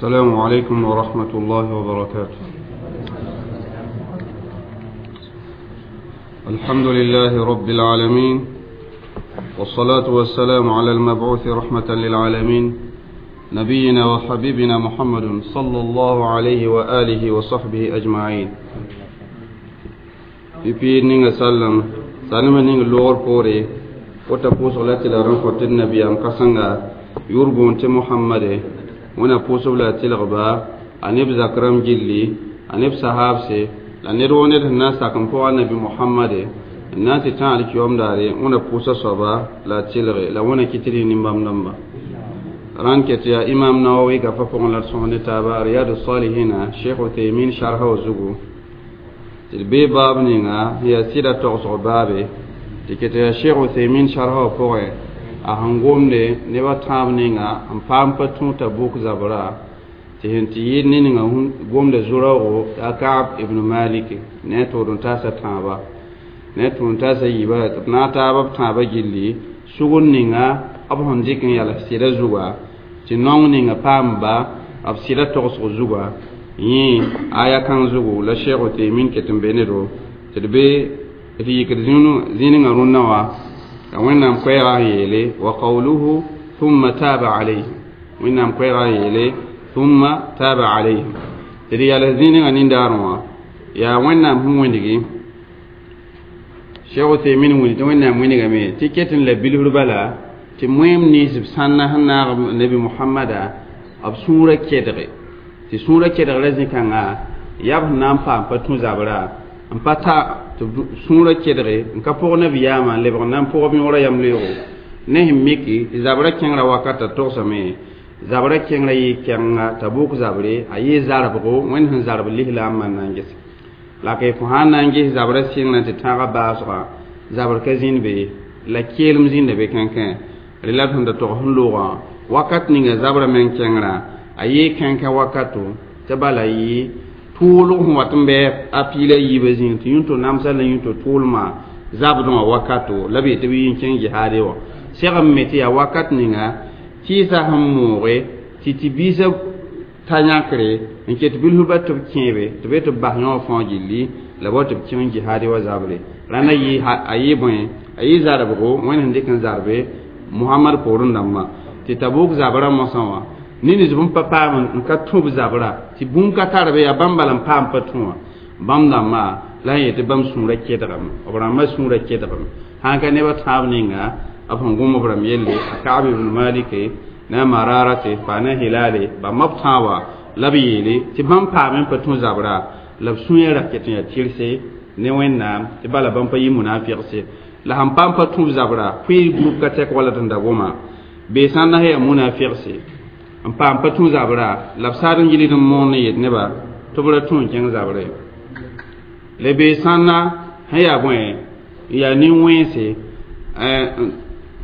السلام عليكم ورحمة الله وبركاته. الحمد لله رب العالمين، والصلاة والسلام على المبعوث رحمة للعالمين، نبينا وحبيبنا محمد صلى الله عليه وآله وصحبه أجمعين. في نينغ سلم سلم نينغ لور بوري وتبوس على تلارن النبي أم كسنغا يربون محمد wẽna pʋʋsb la a tɩlgba a neb zak-rãmb gilli a neb sahaabse la ned woo ned sẽn na n sak n pʋga nabi mohamade n na n tɩ tã alkiyoom daare wẽna pʋʋsa soaba la a tɩlge la wẽna kɩ tɩ rɩ nin-bãmb dãmba rãnd ket yaa imam nawawi gafa pʋgẽ la d sõs ne taaba riyadu salihina sheikh uthaymin sharha wa zugu tɩ d bee baab ninga sẽn yaa sɩda togsg baabe tɩ ket yaa sheikh uthaymin sharha wa pʋgẽ a sẽn gomde nebã tãab ninga n paam pa tũ Tabuk zabra tɩ sẽn tɩ yɩɩd ne ninga gomda zu-raoogo yaa Kaab ibn Malik ne a tʋʋd n taasa tãaba ne a tʋʋd n taasa yiiba tɩ b na n taaba b tãabã gilli sugr ninga b sẽn dɩk n yals sɩda zuga tɩ naong ninga paamba b sɩda togsg zuga yẽ aya kãng zugu la Sheikh Uthaymin ket n be ne-do tɩ d be d yikd zĩningã rũnnã wã wẽnnaam koɛɛgã n yeele wa qawluhu thumma taaba alayhim wẽnnaam koɛɛgã n yeele thumma taaba alayhim tɩ d yals zĩningã nindaarẽ wã yaa wẽnnaam sẽn wẽndgi Cheikh Uthaymin wĩnd tɩ wẽnnaam wĩnigame tɩ ket n la bilfr bala tɩ moeem nins b sãnna sẽn naag nabi mohamada b sũurã kedge tɩ sũurã kedgrã zĩ-kãnga yaa b sẽn na n paam pa tũ zabra n pa ta tɩ sũurã kedge n ka pʋg nabiyaamã n lebg n na n pʋgb yõorã yam-leoogo ne sẽn miki tɩ zabrã kẽngrã wakata togsame zabrã kẽngrã yɩ kɛnga Tabuk zabre a yɩ zarbgo wẽnd sẽn zarb lislaam n na n ges la ka fo sã n na n ges zabrã sɩngrã tɩ tãagã baasga zabr ka zĩnd be la keelem zĩnda be kãnkẽ rẽ la d sẽn da tog sẽn loogã wakat ninga zabrã meng kẽngrã a yɩ kãnkã wakato tɩ bala yɩ tʋʋlg sẽn wat n bɩ a piila yiibã zĩig tɩ yũnto namsa la yũnto tʋʋlmã zabdẽ wã wakato la b yetɩ b yi n kẽng jihaade wã segem me tɩ yaa wakat ninga tɩɩsã sẽn mooge tɩ tɩ biisã ta yãkre n ket bilfba tɩ b kẽebe tɩ b tɩ b bas yõ fãa gilli la bao tɩ b kẽng jihaade wa zabre rãndã a yɩ bõe a yɩ zarbgo wẽnd sẽn dɩk n zarbe Mohamad poorẽ dãmbã tɩ Tabuk zabrã mosã wã nins b n pa paam n ka tũ b zabra tɩ bũmb ka tar be yaa bãmb bala n paam pa tũ wã bãmb dãmbã la n yetɩ bãmb sũurã kedgame b rãmbã sũurã kedgame sãn ka nebã tãab ninga b sẽn gom b rãmb yelle a Kaab ibn Malike ne a Mararate pa ne Hilale bãmb b tãaba la b yeele tɩ bãmb paam n pa tũ zabra la b sũyã ra ket n yaa tɩrse ne Wẽnnaam tɩ bala bãmb pa yɩ munafɩgse la sẽn paam pa tũ b zabra pʋɩ group ka tɛk wala tɩ n da goma bee sãn na yaa munafɩgse n paam pa tũ zabra la b saad n gilg n moon n yet nebã tɩ b ra tũ n kẽng zabre la bee sãnna sẽn yaa bõe n yaa nin-wẽnse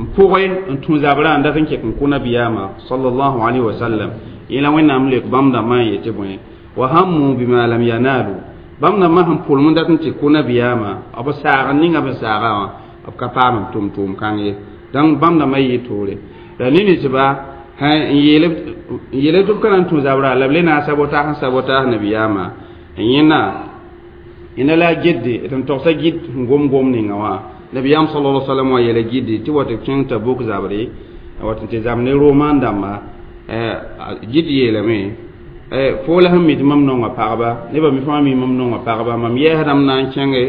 n pʋgẽ n tũ zabra n dat n kek n kʋ nabiyaamã sallallahu alayhi wa sallam yẽ la Wẽnnaam leok bãmb dãmbã n yetɩ bõe wa hammu bima lam yanalu bãmb dãmbã sẽn pʋlem n dat n tɩ kʋ nabiyaamã b saag n ninga b saagã wã b ka paam n tʋm tʋʋm kãng ye donc bãmb dãmbã yɩ toore la ninsba n yeele tɩ b ka na n tũ zabra la b le na n sabotaas n sabotaas nabiyaamã n yẽna yẽna la a gidde tɩ n togsa gid sẽn gom gom ninga wã nabiyaam sallallahu alaihi wasallam wã yeela gidde tɩ wa tɩ b kẽng Tabuk zabre wat n tɩ zab ne roman dãmba gid yeelame fo la sẽn mi tɩ mam nonga pagba nebã mi fãa mi mam nonga pagba mam yɛɛsdame na n kẽnge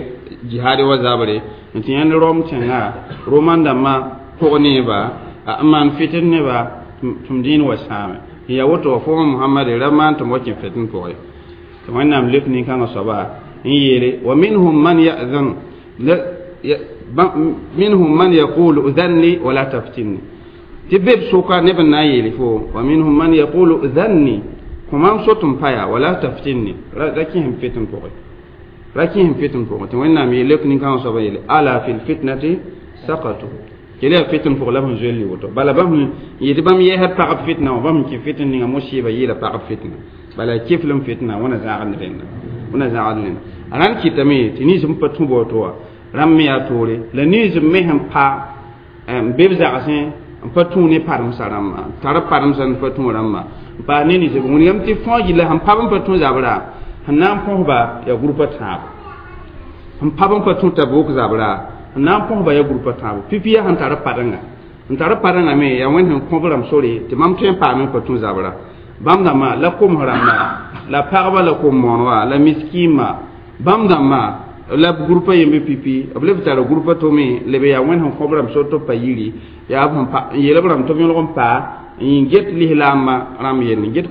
jihaade wa zabre n tɩ yãnd Rom tẽnga roman dãmbã pʋg neeba n maan fitn neba tɩ m dĩin wa sãame n yaa woto wa fo Mohamad ra maan tɩ m wa kẽ fitn pʋgẽ tɩ Wẽnnaam lek nin-kãngã soaba n yeele wa minhum man ya'zan minhum man yaqulu udhanni wala taftinni tɩ be b sʋka neb n na n yeele fo wa minhum man yaqulu udhanni kõ mam so tɩ m pa yaa wala taftinni ra kẽsem fitn pʋgẽ ra kẽsem fitn pʋgẽ tɩ Wẽnnaam yeel lek nin-kãngã soaba yeele ala fi lfitnati sakatu kele yaa fitn pʋgẽ la b sẽn zoel woto bala bãmb n yetɩ bãmb yɛɛsd pagb fitna wã bãmb n kẽ fitn ninga musiba yɩɩla pagb fitna bala keflem fitna wẽna zãagd rẽnda wẽna zãagd rẽnda rãnd kɩtame tɩ nins n pa tũ baoto wã rãmb me yaa toore la nins me sẽn pa n be b zagsẽ n pa tũ ne paremsã rãmbã tar paremsã n pa tũ rãmbã n paas ne ninsb wilgame tɩ fõo gilla sẽn pab n pa tũ zabra sẽn na n põsba yaa gũrpã tãabo sẽn pab n pa tũ Tabuk zabra sẽn na n põsba yaa gũrpã tãabo pipi yaa sẽn tar parenga n tar parenga me yaa wẽnd sẽn kõ b rãmb sore tɩ mam tõe n paame n pa tũ zabra bãmb dãmbã la koms rãmba la pagba la kom-moon wã la miskiimã bãmb dãmbã la gũrpã yembe pipi b leb tara gũrpã tome leb yaa wẽnd sẽn kõ b rãmb sor tɩ b pa yiri yaa n yeel b rãmb tɩ b yõlg n paa n get lislaambã rãmb yelle n get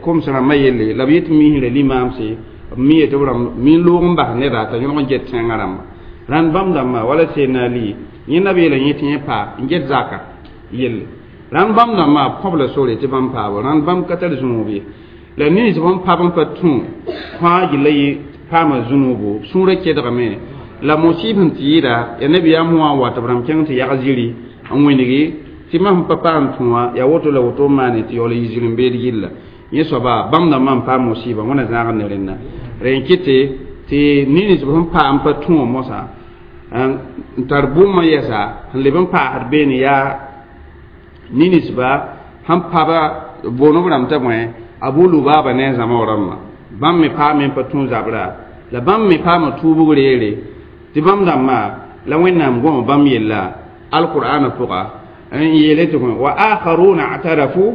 koms rãmbã yelle la b yet misrã limaamse b mi yetɩ b rãmb mi n loog n bas neda t'a yõlg n get tẽngã rãmba rãnd bãmb dãmbã wala Seydna Ali yẽnda b yeela yẽ tɩ yẽ paa n get zaka yelle rãnd bãmb dãmbã b kõb la sore tɩ bãmb paabo rãnd bãmb ka tar zũub ye la nins bãmb pab n pa tũ fãa gilla yɩ paama zũnuubu sũurã kedgame la musib sẽn tɩ yɩɩda ya nabiyaam wã n wa tɩ b rãmb kẽng tɩ yag ziri n wĩngi tɩ mam sẽn pa paam tũ wã yaa woto la woto n maane tɩ yaool yɩ zir-n-beed gilla yẽ soaba bãmb dãmbã n paam musiba wẽna zãag ne rẽnda rẽ n kɩte tɩ nins b sẽn paam pa tũ wã mosã n tar bũmb yɛsa sẽn leb n paasd beene yaa ninsba sẽn paba boonb rãmb t'a bõe Abu Lubaba ne a zãma rãmbã bãmb me paame n pa tũ zabra la bãmb me paama tuubg reere tɩ bãmb dãmbã la Wẽnnaam gõma bãmb yella alqur'ana pʋga n yeele tɩ wa akharuna a'tarafu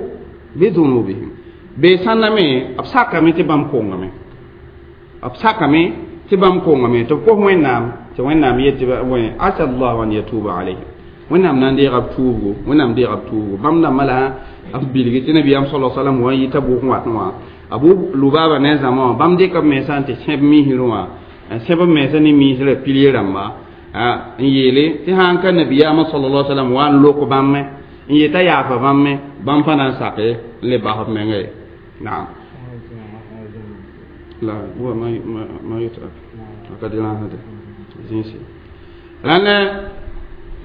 bidhunubihim bee sãnda me b sakame tɩ bãmb kongame b sakame tɩ bãmb kongame tɩ b kos Wẽnnaam tɩ Wẽnnaam yet tɩ asa llahu an yatuba alayhim Wẽnnaam na n deega b tuubgo Wẽnnaam deega b tuubgo bãmb dãmbã la b bilgi tɩ nabiyaam sala salam wa n yɩ Tabuk n wat wã Abu Lubaba ne a zãma wã bãmb dɩka b mensã n tɩ sẽb misrẽ wã n sẽb b mensã ne misrã pilie rãmba n yeele tɩ sã n ka nabiyaamã sallallahu sallam wa n lok bãmb n yeta yaafa bãmb bãmb pa na n sake n le bas b menga ye naam la huwa ma yutrak ka dɩrãasde zĩisi rãnd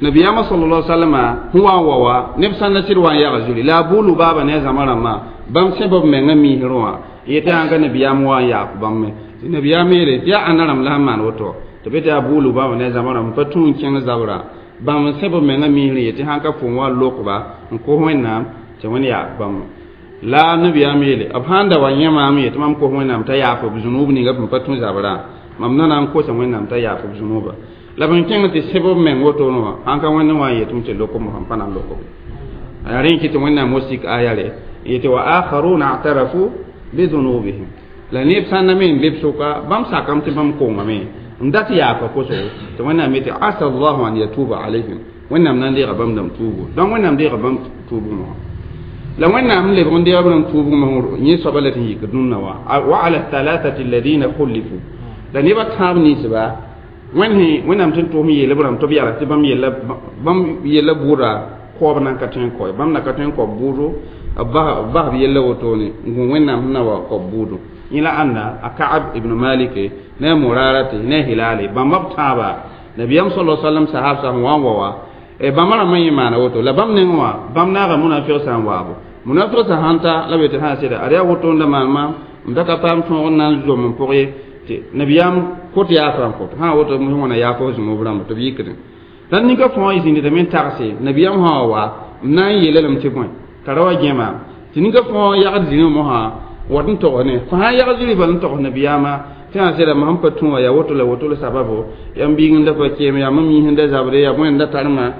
nabiyaamã sallallahu sallama sẽn wa n wa wa neb sãn na sɩd wa n yaga zuri la Abu Lubaba ne a zãma rãmbã bãmb sẽb b menga misrẽ wã yetɩ sãn ka nabiyaam wa n yaaf bãmb me tɩ nabiyaam yeele tɩ yaa ãnda rãmb la sẽn maan woto tɩ be tɩ Abu Lubaba ne a zãma rãmb pa tũ n kẽng zabra bãmb n sẽb b menga misrẽ yetɩ sãn ka fo n wa lokba n kos Wẽnnaam tɩ Wẽnd yaaf bãmb la nabiyaam yeele b sãn da wa yẽ maam ye tɩ mam kos Wẽnnaam t'a yaaf b zũnub ninga b pa tũ zabra mam na na n kosa Wẽnnaam t'a yaaf b zũnuba la b kẽng tɩ sẽb b meng wotone wã sãn ka Wẽnd wã n yetɩm tɩ lokom sẽn pa na n lokob yaa rẽ n kɩ tɩ Wẽnnaam wa sik aya re yetɩ wa akharuna a'tarafu bidhunubihim la neb sãn na me n be b sʋka bãmb sakame tɩ bãmb kongame n dat yaafa kosgo tɩ Wẽnnaam yetɩ asa llahu an yatuba alayhim Wẽnnaam na n deega bãmb dãmb tuubu donc Wẽnnaam deega bãmb tuubg wã la Wẽnnaam n lebg n deega b rãmb tuubg yẽ soaba la tɩ n yik dũnna wã wa ala thalathati alladina khulifu la nebã tãab ninsba Wẽnnaam tɩ n tʋʋm yeele b rãmb tɩ b yala tɩ bãmb yella bʋʋda koab nan ka tõe n kao bãmb na ka tõe n kao bʋʋdo b bas b yella wotone n gũ Wẽnnaam sẽn na wa kao bʋʋdo yẽ la ãnda a Ka'ab ibn Malik ne a Murarate ne a Hilale bãmba b tãaba nabiyaam sala sallam sahab sã sẽn wa n wa wa bãmba rãmbã yẽ maana woto la bãmb neng wã bãmb naaga munafɩg sã n waabo munafɩg sã sãn ta la b yetɩ sã sɩda ad yaa woto n da maan maam m da ka paam tõog n na n zom n pʋg ye tɩ nabiyaam kot yaafa n kot sã woto wãna yaaf f zũmb rãmba tɩ b yikdẽ la ninka fõa y zĩndame n tagse nabiyaam sã wa wa m na n yeela lame tɩ bõe t'a ra wa gẽ maam tɩ ninka fõa yagd zĩrã mosã wat n togs ne fo sã n yagd zĩri bal n togs nabiyaamã tɩ sã sɩda mam sẽn pa tũ wã yaa woto la woto la sababo yaa m biig n da pa keem yaa mam yĩs n da zabre yaa bõe n da tar-mã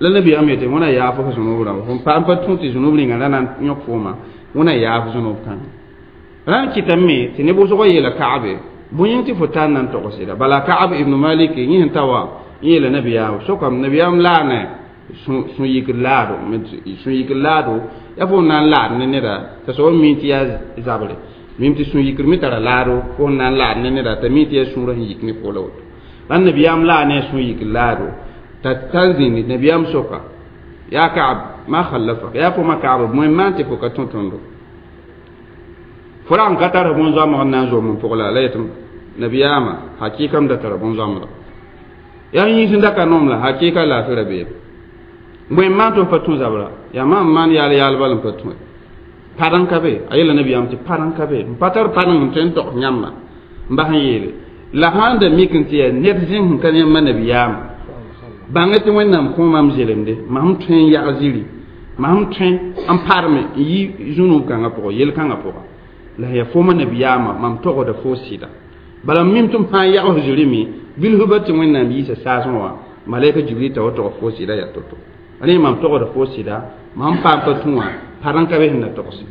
la nabiyaam yetɩ wẽna yaaf f zũnub rãmba fo n pa tũ tɩ zũnub rĩnga ra na n yõk fooma wẽna yaaf zũnub kãngã rãnd kɩtame tɩ neb wʋsgã yeela Ka'abe bõe yĩng tɩ fo tar na n togseda bala Ka'ab ibn Malik yẽ sẽn ta wã yeela nabiyaam sokame nabiyaam laane sũ-yikr laado sũ-yikr laado yaa fo n na n laad ne neda t'a soab mi tɩ yaa zabre mim tɩ sũ-yikr me tara laado fo n na n laad ne neda t'a mi tɩ yaa sũurã sẽn yik ne fo la woto la nabiyaam laa ne a sũ-yikr laado t'a tar zĩndi nabiyaam soka yaa Ka'ab ma khallafak yaa fo ma Ka'ab bõe n maan tɩ fo ka tũ tõndo fo ra n ka tar bõn-zoamg n na n zom n pʋg la la yetɩ nabiyaamã hakɩɩka m da tara bõn-zoamda yaa yĩns n da ka nom la hakɩɩka laafɩ ra beeme bõe n maan tɩ f pa tũ zabra yaa maam maan yaal yaalba la n pa tũ padẽn ka be a yeela nabiyaam tɩ padẽn ka be n pa tar padẽng n tõe n togs yãmba n bas n yeele la sãn da mik n tɩ yaa ned zĩng sẽn ka yãmba nabiyaamã Bãng tɩ Wẽnnaam kõ mam zelemde mam tõe n yag ziri mam tõe n parme n yi zũnug kãngã pʋgã yel-kãngã pʋga la yaa fooma nabiyaamã mam togda fo sɩda bala m mim tɩ m fãa yags zirime bilfba tɩ Wẽnnaam yiisa saasẽ wã malɛka Jibril t'a wa tog fo sɩda yaa to-to rẽ mam togda fo sɩda mam paam pa tũ wã par n ka be sẽn na togse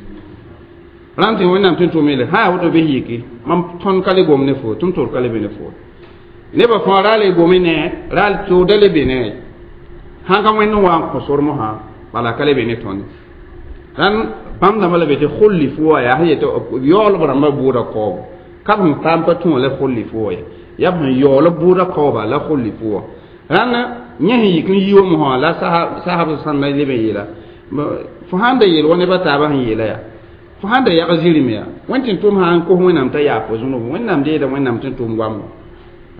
rãnd tɩ Wẽnnaam tɩ n tʋm yeele sã yaa woto bɩ yiki mam tõnd ka le gom ne fo tɩ m tʋr ka le be ne fo nebã fãa ra le gome ne ra tʋʋda le be ne sãn ka Wẽnd n wa n kõ sor mosã bala ka le be ne tõnd rãnd bãmb dãmbã la be tɩ khullifu wã yaa sẽn yetɩ yaoolb rãmbã bʋʋda kaoobo ka b sẽn paam pa tũ wã la khullifu wã ye yaa b sẽn yaool b bʋʋda kaooba la khullifu wã rãnd yẽ sẽn yik n yi wa mosã la sahab sãnda leb n yeela fo sãn da yeel wa nebã taabã sẽn yeela yaa fo sãn da yag zirime yaa Wẽnd tɩ n tʋm sã n kos Wẽnnaam t'a yaa fo zũnub Wẽnnaam deeda Wẽnnaam tɩ n tʋm goambo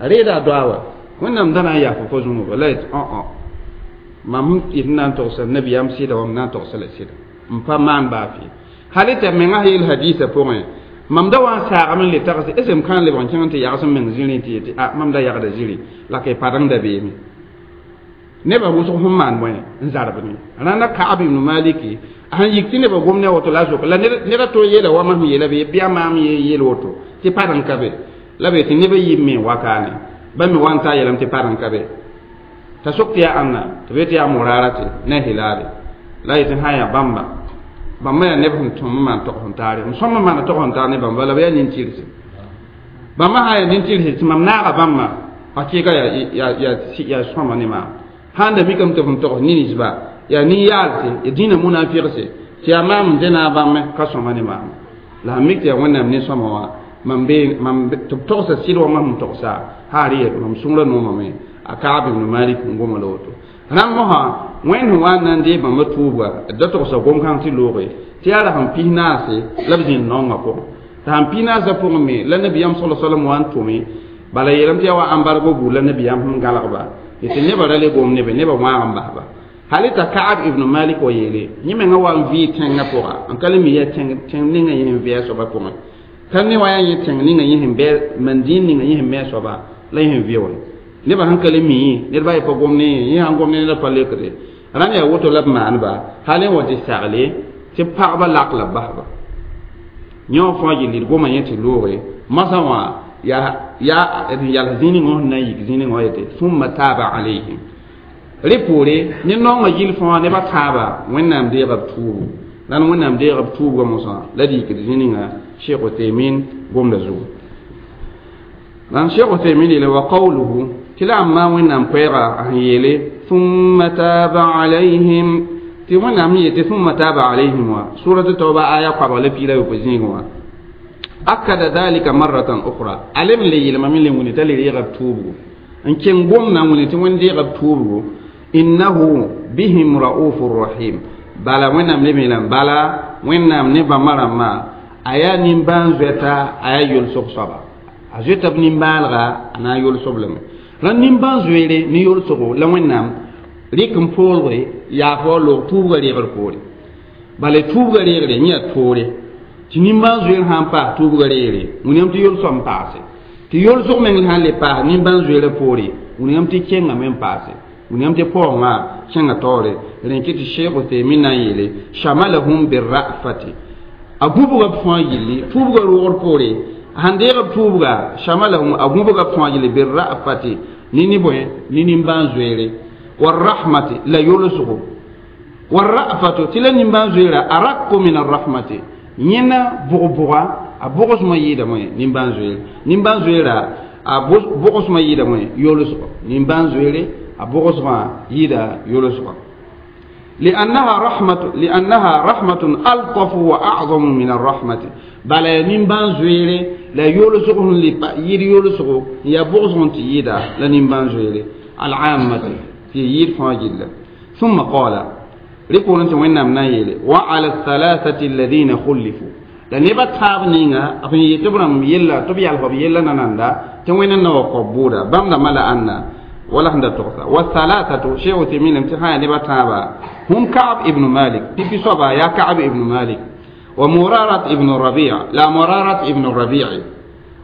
a reeda a doa wa Wẽnnaam da na n yaa fo fo zũnuba la yetɩ õ mam yet n na n togsa nabiyaam sɩda wa m na n togsa la sɩda n pa maan baa fɩ hal t'a menga yeel hadiisã pʋgẽ mam da wa n saagame n le tags est ce m kãn lebg n kẽng tɩ yags n meng zĩrĩ tɩ yetɩ a mam da yagda zĩri la ka y padeng da beeme nebã wʋsg sẽn maan bõe n zarbne rãnda Kaab ibn Maliki a sẽn yik tɩ nebã gom ne a woto la a zoka la ned a to yeela wa mam sẽn yeela bɩ bɩa maam ye yeel woto tɩ padeng ka be la be tɩ nebã yib me n wakaane ba me wa n ta yeelame tɩ padeng ka be t'a sok tɩ yaa ãnna tɩ be tɩ yaa Murara tɩ ne Hilaale la yetɩ sã yaa bãmba bãmba yaa neb sẽn tõm n maan tog sẽn taare m sõm n maana tog sẽn taar ne bãmba la b yaa nin-tɩrse bãmba sã yaa nin-tɩrse tɩ mam naaga bãmba hakɩɩga yaa sõma ne maam sãn da mikame tɩ f n togs nin-ninsba yaa nin-yaalse ya dĩinã munafɩgse tɩ yaa maam n dẽna a bãmb ka sõma ne maam la sẽn mik tɩ yaa Wẽnnaam nin-sõma wã mam be mam tɩ b togsa sɩd wa mam sẽn togsa haar yet mam sũurã noomame a Kaab ibn Malik n goma la woto rãmb mosã Wẽnd sẽn wa n na n dee bãmba tuubga d da togsa gom-kãng tɩ looge tɩ yaa ra sẽn pis naase la b zĩnd naongã pʋgẽ tɩ sãn pis naasã pʋgẽ me la nabiyaam sala salam wa n tʋme bala yeelame tɩ yaa wa embargo buud la nabiyaam sẽn gãlgba tɩ nebã ra le gom nebe nebã wãag n basba hal t'a Kaab ibn Malik wa yeele yẽ menga wa n vɩɩ tẽngã pʋga n ka le mi yaa tẽng ninga yẽ sẽn vɩ a soabã pʋgẽ ka ne wa yaa yẽ tẽng ninga yẽ sẽn bɩ mandĩin ninga yẽ sẽn me a soaba la yẽ sẽn vɩ wa nebã sẽn ka le mi ned ba ye pa gom ne yẽ sãn gom ne ned pa lekde rãnd yaa woto la b maanba hal n wa tɩ sagle tɩ pagba lak la b basba yẽ wã fãa yel d goma yẽ tɩ looge masã wã yaa yals zĩig ning wã sẽn na n yik zĩig ning wã yetɩ thumma taaba alayhim rẽ poore ne naongã yɩl fãa nebã tãaba Wẽnnaam deega b tuubu la Wẽnnaam deega b tuubga mosã la d yikd zĩig ninga Cheikh Uthaymin gomda zugu lan Cheikh Uthaymin yeele wa qawluhu tɩ la a Wẽnnaam koɛɛga a sẽn yeele thumma taaba alayhim tɩ Wẽnnaam sẽn yetɩ thumma taaba alayhim wã surat tawba aya koabg la piig la yopoe zĩigẽ wã akada dhalika marratan ukhra alem le yelma min le wuni t'a le reega b tuubgo n kẽng gomdã wuni tɩ Wẽnd deega b tuubgo innahu bihim raufur rahim bala Wẽnnaam le meelame bala Wẽnnaam ne bãmba rãmbã a yaa nimbãan-zoɛta a yaa yolsg soaba a zoeta b nimbãanega a na n yolsb lame rãnd nimbãan-zoeere ne yolsgo la Wẽnnaam rɩk n poolge yaaf wa loog tuubga reegr poore bala tuubga reegre yẽ yaa toore tɩ nimbãan-zoeer sã n paas tuubga reegre william tɩ yolsg n paase tɩ yolsg meng sã n le paas nimbãan-zoeerã poore william tɩ kẽngame n paase william tɩ paoongã kẽnga taoore rẽn kɩ tɩ Sheikh Uthaymin na n yeele shamalahum birrafati a gũbga b fãa yilli tuubga roogr poore sãn deeg b tuubga shamalahum a gũbga b fãa yilli birrafati ne ne bõe ne nimbãan-zoeere warahmati la yolsgo warrafatu tɩ la nimbãan-zoeera arakku min arrahmati yẽna bʋg-bʋga a bʋgsmã yɩɩda bõe nimbãan-zoeere nimbãan-zoeera a bʋgsmã yɩɩda bõe yolsgo nimbãan-zoeere a bʋgsmã yɩɩda yolsgo لأنها رحمة ألطف وأعظم من الرحمة بلا نيمبان زويري لا يولسغ ير يولسغ يا بغزغ تيدا لا نيمبان زويري العامة في ير فاجل ثم قال ريكون انت وين نام وعلى الثلاثة الذين خلفوا لأن يبقى تاب نينا أفن يتبرم يلا تبي الفب يلا ناندا توين نو قبورا بامدا ملا أن ولا هند تغسى والثلاثة شيء تمين امتحان يبقى تابا هم كعب ابن مالك في صبا يا كعب ابن مالك ومرارة ابن الربيع لا مرارة ابن الربيع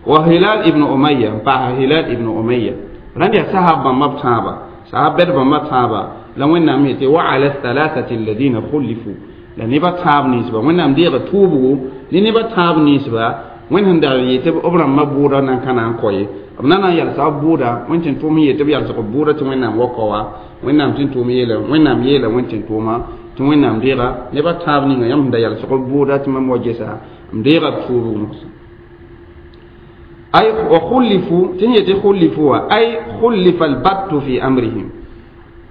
وهلال ابن أمية فا هلال ابن أمية رنيا سحب مبتابا Sahab bɛd bãmba tãaba la Wẽnnaam yetɩ wa ala thalathati alladhina khulifu la neba tãab ninsba Wẽnnaam deega tuubgo ne neba tãab ninsba Wẽnd sẽn dag yetɩ b rãmbã bʋʋda nan ka na n kɔ ye b na n yalsa b bʋʋda Wẽnd tɩ n tʋʋm yetɩ b yalsg b bʋʋda tɩ Wẽnnaam wa kao wa Wẽnnaam tɩ n tʋʋm yeela Wẽnnaam yeela Wẽnd tɩ n tʋʋma tɩ Wẽnnaam deega neba tãab ninga yãmb sẽn da yalsg b bʋʋda tɩ mam wa gesa m deega b tuubg mogsã ay wa khulifu tɩ yetɩ khulifu wa ay khulifa albattu fi amrihim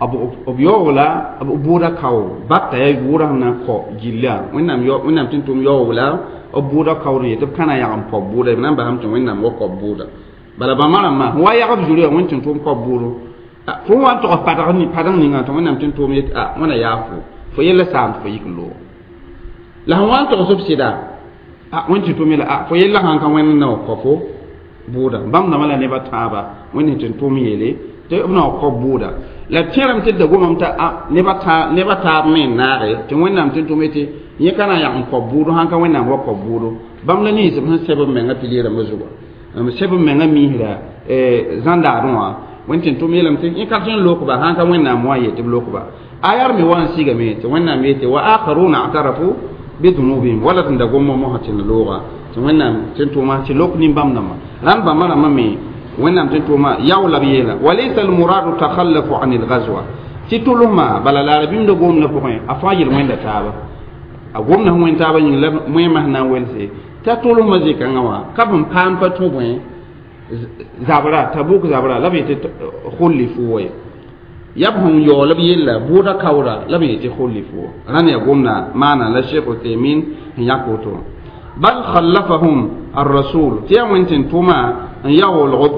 b yaoola b bʋʋda kao batta yaa bʋʋda sẽn na n kɔ gilla Wẽnnaam tɩ n tʋm yaoola b bʋʋda kaood n yetɩ b ka na n yag n pɔb bʋʋda b na n basame tɩ Wẽnnaam wa kɔ bʋʋda bala bãmba rãmbã wa yag b zuri wã Wẽnd tɩ n tʋm kɔ bʋʋdo fo wa n tog padg ninga tɩ Wẽnnaam tɩ n tʋʋm yetɩ a wẽna yaa fo yella saam tɩ fo yik n loog la sẽn wa n togs b sɩda a Wẽnd tɩ tʋm yela a fo yella sãn ka Wẽnd na wa kɔ fo bʋʋda bãmb dãmbã la neba tãaba Wẽnd tɩ n tʋʋm yeele tɩ b na wa kɔ bʋʋda la tẽrame tɩ da gomame t'a neba taab me n naage tɩ Wẽnnaam tɩ n tʋm yetɩ yẽ ka na n yag n kɔ bʋʋdo sãn ka Wẽnnaam wa kɔ bʋʋdo bãmb la ninsb sẽn sɛb b menga pilier rãmbã zugã b sɛb b menga miisra zãndaadẽ wã Wẽnd tɩ n tʋm yeelame tɩ yẽ ka tõe n lokba sãn ka Wẽnnaam wa n yetɩ b lokba ayar me wa n sigame tɩ Wẽnnaam yetɩ wa akharuna a'tarafu bidunubihim wala tɩ n da gom mosã tɩ n looga tɩ Wẽnnaam tɩ n tʋʋma tɩ lok nin-bãmb dãmbã rãnd bãmba rãmbã me Wẽnnaam tɩ n tʋʋma yaoola b yeela walaysa almuradu takhallafu an alghazwa tɩ tʋlsma bala la rabĩmda gomdã pʋgẽ a fãa yel wẽnda taaba a gomda sẽn wẽnd taabã yĩng la moẽmã sẽn na n welse t'a tʋlsmã zĩ-kãngã wã ka b n paam pa tũ bõe zabra Tabuk zabra la b yetɩ khulifu wa ye yaa b sẽn yaool b yella bʋʋda kaoora la b yetɩ khulifu rãnd yaa gomda maana la Sheikh Uthaymin sẽn yãk woto bal khallafahum ar-rasul tɩ yaa Wẽnd tɩ n tʋma n yaoolg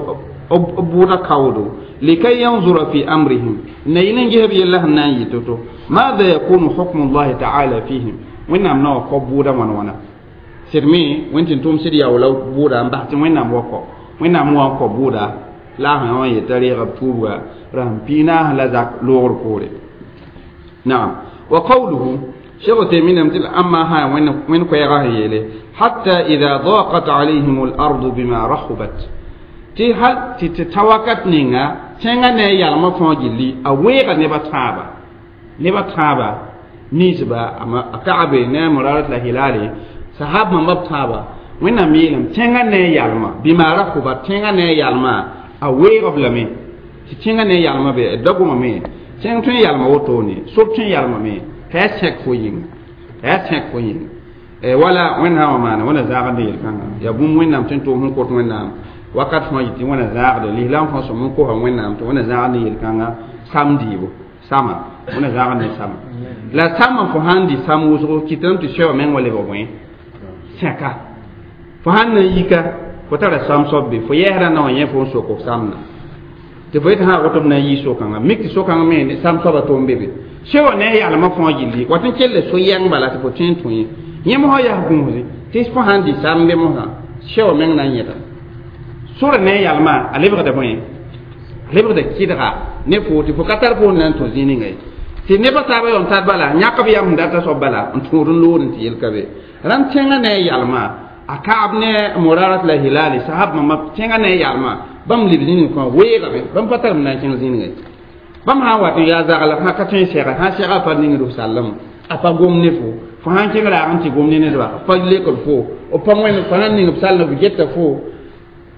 b bʋʋda kaoodo likay yanzura fi amrihim na yɩl n ges b yella sẽn na n yɩ to-to maada yakunu hukmu llahi taala fihim Wẽnnaam na wa kɔ bʋʋda wãn wãna sɩd me Wẽnd tɩ n tʋm sɩd yaoola bʋʋda n bas tɩ Wẽnnaam wa kɔ Wẽnnaam wa n kɔ bʋʋda la a sẽn wã yetã reega b tuubga rasem piig-naas la zak loogr poore naam wa qawluhu Sheikh Uthaymin tɩ amma sã wẽnd koɛɛgã sẽn yeele hatta idha daqat alayhim al-ardu bima rahubat tɩ hal tɩ ta wakat ninga tẽngã ne a yalmã fãa gilli a weega neba tãaba ninsba a Kaabe ne a Murarat la Hilali sahab mamba b tãaba Wẽnnaam yeelame tẽngã ne a yalmã bima rahubat tẽngã ne a yalmã a weeg b lame tɩ tẽngã ne a yalmã be da gomame tẽng tõe n yalma wotone sob tõe n yalmame t'a yaa sẽk fo yĩnga t'a yaa sẽk fo yĩnga wala Wẽnnaam wã maana wẽna zaagd yel-kãngã yaa bũmb Wẽnnaam tɩ n tʋʋm sẽn kot Wẽnnaam wakat fãa yɩ tɩ wẽna zaagde lislaam fãa sõm n kosa Wẽnnaam tɩ wẽna zaagd ne yel-kãngã sam dɩɩbo sama wẽna zaagd ne sama la samã fo sãn dɩ sam wʋsgo kɩtame tɩ soaba meng wa lebg bõe sẽka fo sãn na n yika fo tara sam soab be fo yɛɛsrã na wa yẽ fo n sok f samna tɩ fo yetɩ sã woto b na n yɩ so-kãngã mik tɩ so-kãngã me sam soaba tʋʋm be be soa ne a yalmã fãa gilli wat n kell so-yɛng bala tɩ fo tõe n tũ ye yẽ mosã yaa gũusde tɩ fo sãn dɩ sam be mosã soa meng na n yẽta sora ne a yalmã a lebgda bõe a lebgda kɩdga ne fo tɩ fo ka tar fo na n tũ zĩig ninga ye tɩ nebã taabã yõ n tar bala yãk b yam sẽn data soab bala n tũud n lood n tɩ yel ka be rãnd tẽngã ne a yalmã a Kaab ne Murarat la Hilali sahab mama tẽngã ne a yalmã bãmb leb zĩig fãa weegame bãmb pa tar m na n kẽng zĩig ye bãmb sã n wat n yaa zagl sã ka tõe n sɛga sã sɛga a pa ningd f sallem a pa gom ne fo fo sãn kẽng raag n tɩ gom ne nedba pa lekd fo b pa wẽnd fo sãn ning b sallem b geta fo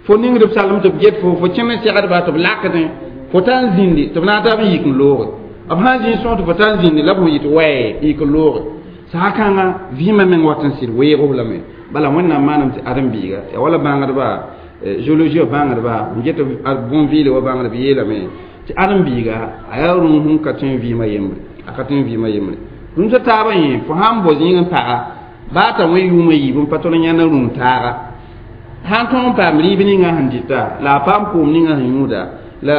fo ningd b sallem tɩ b get fo fo kẽm n segdba tɩ b lakdẽ fo ta n zĩndi tɩ b na n tab n yik n looge b sãn zĩig sõs tɩ fo ta n zĩndi la b sẽn yɩ tɩ wɛɛ yik n looge sã-kãngã vɩɩmã meng wat n sɩd weeg b lame bala Wẽnnaam maanam tɩ ãdem-biiga yaa wala bãngdba géologie bãngdba n get bõn-vɩɩle wa bãngdb yeelame tɩ ãdem-biiga a yaa rũm sẽn ka tõe n vɩɩmã yembre a ka tõe n vɩɩmã yembre rũmsã taabã yẽ fo sãn bao zĩig n paga baa t'a wẽ yʋʋmã yiib n pa tõd n yãnd rũm taaga sãn tõog n paam rɩɩb ninga sẽn dɩta la a paam koom ninga sẽn yũuda la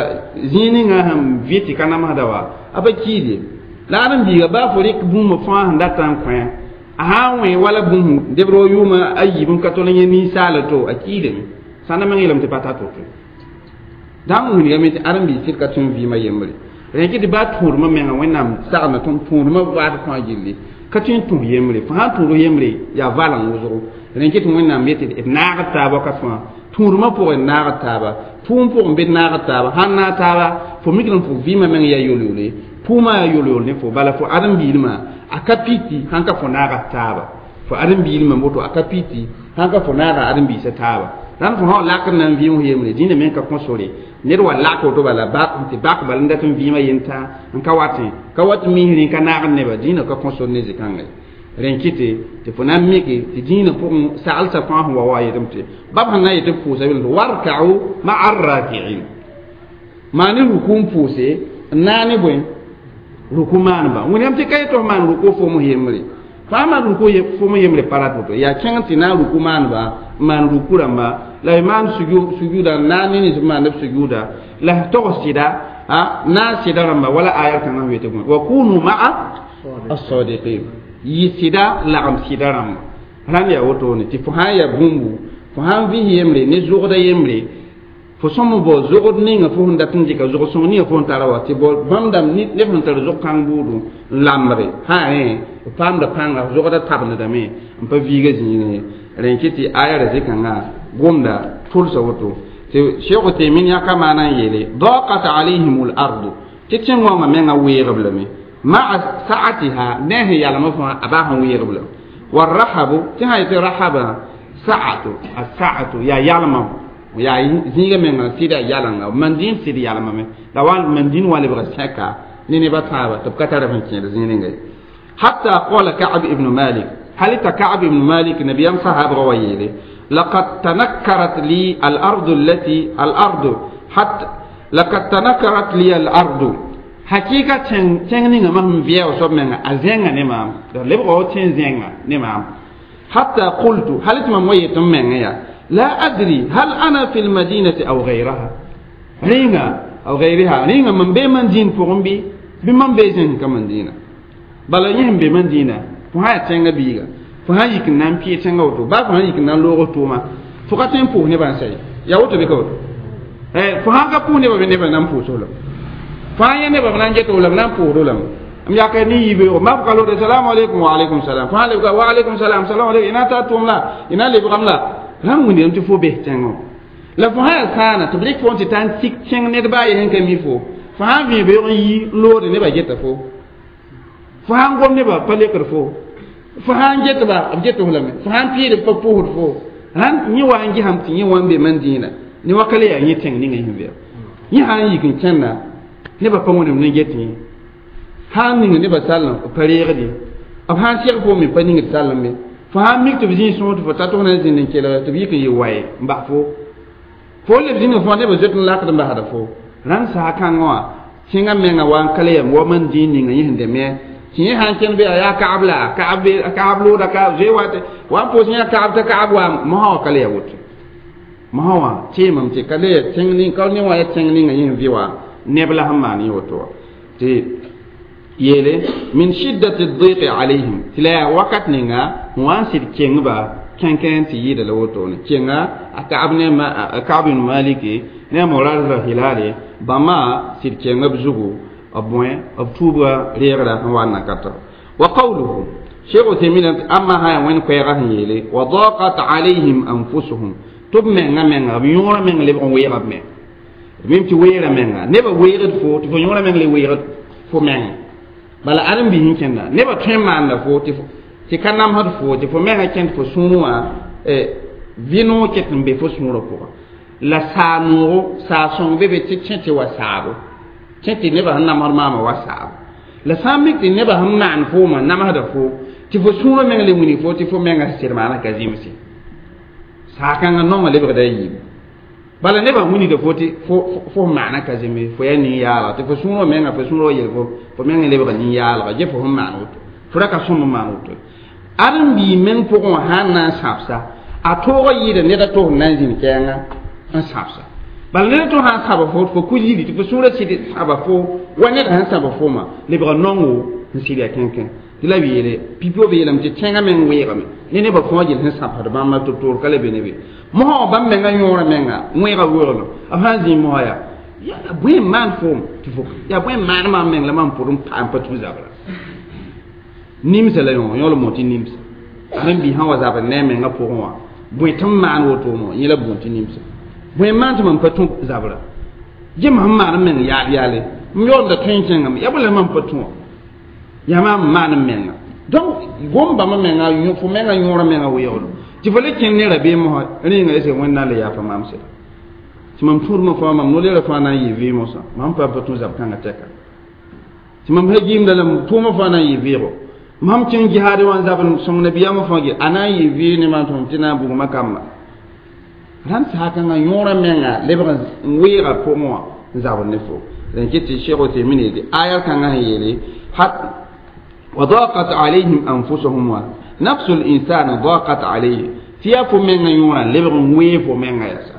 zĩig ninga sẽn vɩ tɩ ka namsda wa a pa kiide la ãdem-biiga baa fo rɩk bũmb fãa sẽn datã n kõ a sã n wẽ wala bũmb debr wa yʋʋmã a yiib n ka tol n yẽ ninsaala to a kiidame sãnda meng yeelame tɩ pa ta to-to dãng wilgame tɩ ãdem-biig sɩd ka tõe n vɩɩmã yembre rẽkɩ tɩ baa tũudmã menga Wẽnnaam sagenda tõnd tũudmã waat fãa gilli ka tõe n tũus yembre fo sãn tũud yembre yaa valeng wʋsgo rẽkɩ tɩ Wẽnnaam yetɩ d naagd taab wakat fãa Tũudmã pʋgẽ naag taaba pʋʋm pʋgẽ bɩ naag taaba sãn naag taaba fo mikd n fo vɩɩmã meng yaa yol-yole pʋʋmã yaa yol-yol ne fo bala fo ãdem-biilmã a ka piti sãn ka fo naaga taaba fo ãdem-biilmã woto a ka piti sãn ka fo naaga ãdem-biisã taaba rãnd fo sã lak n na n vɩɩm yembre dĩnã meng ka kõ sore ned wa lak woto bala tɩ bak bala n dat n vɩɩmã yentã n ka watẽ ka wat misrẽ ka naag neba dĩnã ka kõ sor ne zĩ-kãngã rẽn kɩte tɩ fo na n mike tɩ dĩinã pʋgẽ saglsã fãa sẽn wa wa yetame tɩ bab sẽn na n yetɩ b pʋʋsa bɩ warka'u ma'a arraki'in maan ne ruku n pʋʋse n naa ne bõe ruku maaneba wẽnnaam tɩ ka yetɩ f maan ruku fom yembre fãa maan ruku fom yembre pa rat woto yaa kẽng tɩ na n ruku maaneba n maan ruku rãmba la y maan sujuuda n naa ne nins b maand b sujuuda la tog sɩda na sɩda rãmba wala aya kãngã sẽn wetɩ bõe wa kunu ma'a as-sadiqin yɩ sɩda lagem sɩda rãmba rãnd yaa wotone tɩ fo sã n yaa bũmbu fo sã n vɩs yembre ne zogda yembre fo sõm bao zogd ninga fo sẽn dat n dɩka zog-sõng ninga fo sẽn tara wa tɩ bao bãmb dãmb neb sẽn tar zog-kãng buudu n lambre sã rẽ b paamda pãnga zogda tabendame n pa viiga zĩigẽ ye rẽn kɩ tɩ aya ra zĩ-kãngã gomda tʋlsa woto tɩ Sheikh Uthaymin yãka maana n yeele daqat alayhim l-ardu tɩ tẽn-wãngã menga weegb lame ma'a sa'atiha ne sẽn yalmã fãa a baa sẽn weegb lame warahabu tɩ sã yetɩ rahaba sa'atu as-sa'atu yaa yalmã yaa zĩiga menga sɩda yalanga mandĩn sɩd yalmame la wa mandĩn wa lebga sẽka ne nebã tãaba tɩ b ka tar sẽn kẽed zĩig ninga ye hatta qala Ka'b ibn Malik hal t'a Ka'b ibn Malik nabiyam sahabga wa yeele laqad tanakkarat li al-ardu allati al-ardu hatta laqad tanakkarat li al-ardu hakika tẽng ninga mam vɩɛɛg soab menga a zẽnga ne maam la lebga wa tẽn zẽnga ne maam hatta qultu hal tɩ mam wa yet m menga yaa la adri hal ana fi lmadinati aw gayraha rẽnga aw gayriha rẽnga mam bee mandĩin pʋgẽ bɩ bɩ mam bee zẽng ka mandĩinã bala yẽ sẽn be mandĩinã fo sã yaa tẽngã biiga fo sã n yik n na n pɩɩ tẽngã woto baa fo sã n yik n na n loog tʋʋma fo ka tõe n pʋʋs nebã n sa ye yaa woto bɩ ka woto fo sãn ka pʋʋs nebã bɩ nebã na n pʋʋs-f lame fo sãn yẽ nebã b na n get-f la b na n pʋʋsd lame m yaka ne yibeoogo ma fo ka loode salamu aleykum wa aleykum salam fo sãn lebga wa aleykum salam salamu aleykum y na n taa tʋʋm la y na n lebgame la rãmb wĩndame tɩ fo bes tẽngã la fo sã yaa sãana tɩ b rɩk fo n tɩ ta n tik tẽng ned baa ye sẽn ka mi fo fo sã n vẽe beoog n yi n loode nebã geta fo fo sã n gom nebã pa lekd fo fo sã n getba b get f lame fo sã n pɩɩd b pa pʋʋsd fo rãnd yẽ wa n gesame tɩ yẽ wa n be mandĩinã ne wa ka le yaa yẽ tẽng ninga yẽ vɛɛg yẽ sã n yik n kẽnda nebã pa wẽnem ne get yẽ sã n ning nebã sallem b pa reegd ye b sã n seg fo me pa ningd sallem ye fo sã n mik tɩ b zĩig sõor tɩ fo ta tɩ f na n zĩnd n kelg tɩ b yik n yɩ waye n bas fo fo leb zĩnga fõa nebã zoet n lakd n basda fo rãnd saha kãngã wã tẽngã menga wa n ka le yam wa mandĩin ninga yẽ sẽn deme tɩ yẽ sã n kẽnd be yaa Ka'b la Ka'b looda ka zoe wa wa n pʋʋs yã Ka'b t'a Ka'b wa mosã wã ka le ya woto mosã wã teemame tɩ ka le ya tẽng ning ka ne wã ya tẽng ninga yẽ sẽn vɩ wã neb la sẽn maan yẽ woto wã tɩ yeele min shiddati diqi alayhim tɩ la yaa wakat ninga n wa n sɩd kengba kẽnkẽ tɩ yɩɩda la wotone kenga a Ka'b ne Ka'b ibn Maliki ne Murara Hilali bãmba sɩd kenga b zugu b bõe b tuubga reegra n wa n na ka tɔ wa qawluhu Cheikh Uthaymin amma sã yaa wẽnd koɛɛgã sẽn yeele wa daqat alayhim anfusuhum tɩ b menga menga b yõorã meng lebg n weega b meng mim tɩ weera menga nebã weegd fo tɩ fo yõorã meng le weegd fo menga bala ãdem-biis n kẽnda nebã tõe n maanda fo tɩ ka namsd fo tɩ fo menga kẽnd fo sũurẽ wã vɩ-noog ket n be fo sũurã pʋgã la saa-noogo saa-sõng be be tɩ kẽ tɩ wa saabo kẽ tɩ nebã sẽn namsd maamã wa saabo la sã n mik tɩ nebã sẽn maan foomã namsda fo tɩ fo sũurã meng le wilg fo tɩ fo menga sɩd maana ka zĩmse saa-kãngã naongã lebgda a yiibu bala nebã wilgda fo tɩ fo maana ka zĩmbe fo yaa nin-yaalga tɩ fo sũurã menga fo sũurã wa yel fo fo meng lebga nin-yaalga ge fo sẽn maan woto fo ra ka sõm n maan woto ãdem-bii meng pʋgẽ wã sã n na n sãbsa a toogã yɩɩda ned a tos n na n zĩnd kɛɛngã n sãbsa bala ned a to sã n sãba fo fo ku yiri tɩ fo sũurã sɩd sãba fo wa ned sẽn sãba fomã lebga naongo n sɩd yaa kẽnkẽ tɩ la b yeele pipi b yeelame tɩ tẽngã meng weegame ne nebã fõa gel sẽn sãbsd bãmba tɩ toor ka le be ne be mosã wã bãmb menga yõorã menga wẽega weooglo b sã n zĩig mosã yaa yaa bõe n maan foom tɩ fo yaa bõe n maan maam meng la mam pʋd n pa n pa tũ zabra nimsa la yõ yõl mo tɩ nimsa ãdem-biis sã wa zabr ne a menga pʋgẽ wã Bõe tɩ m maan woto yẽ la buun tɩ nimsa bõe n maan tɩ mam pa tũ zabra gem sẽn maan m meng yaal yaale m yaoolda tõe n kẽngame yaa bõe la mam pa tũ wã yaa maam n maan m menga donc gom bãmba menga fo menga yõora menga weoogdo tɩ fo le kẽnd ne rabeem mosã rẽnga est Wẽnd na n le yaafa maam sɛda tɩ mam tũudmã fãa mam no-leerã fãa na n yɩ vɩɩm mosã mam pa pa tũ zab-kãngã tɛka tɩ mam sã gɩɩmda la tʋʋmã fãa na n yɩ vɩɩgo mam kẽng jihaadẽ wã n zabd sõng nabiyaamã fãa ge a na n yɩ vɩɩg ne maam tɩ mam tɩ na n bugmã kamba rãnd saakãngã yõorã menga lebg n weega pʋgẽ wã n zabd ne fo rẽn kɩ tɩ Cheikh Othemin yeele aya kãngã sẽn yeele وضاقت عليهم أنفسهم نفس الإنسان ضاقت عليه تيا فو menga yõorã lebg n wee fo menga yasa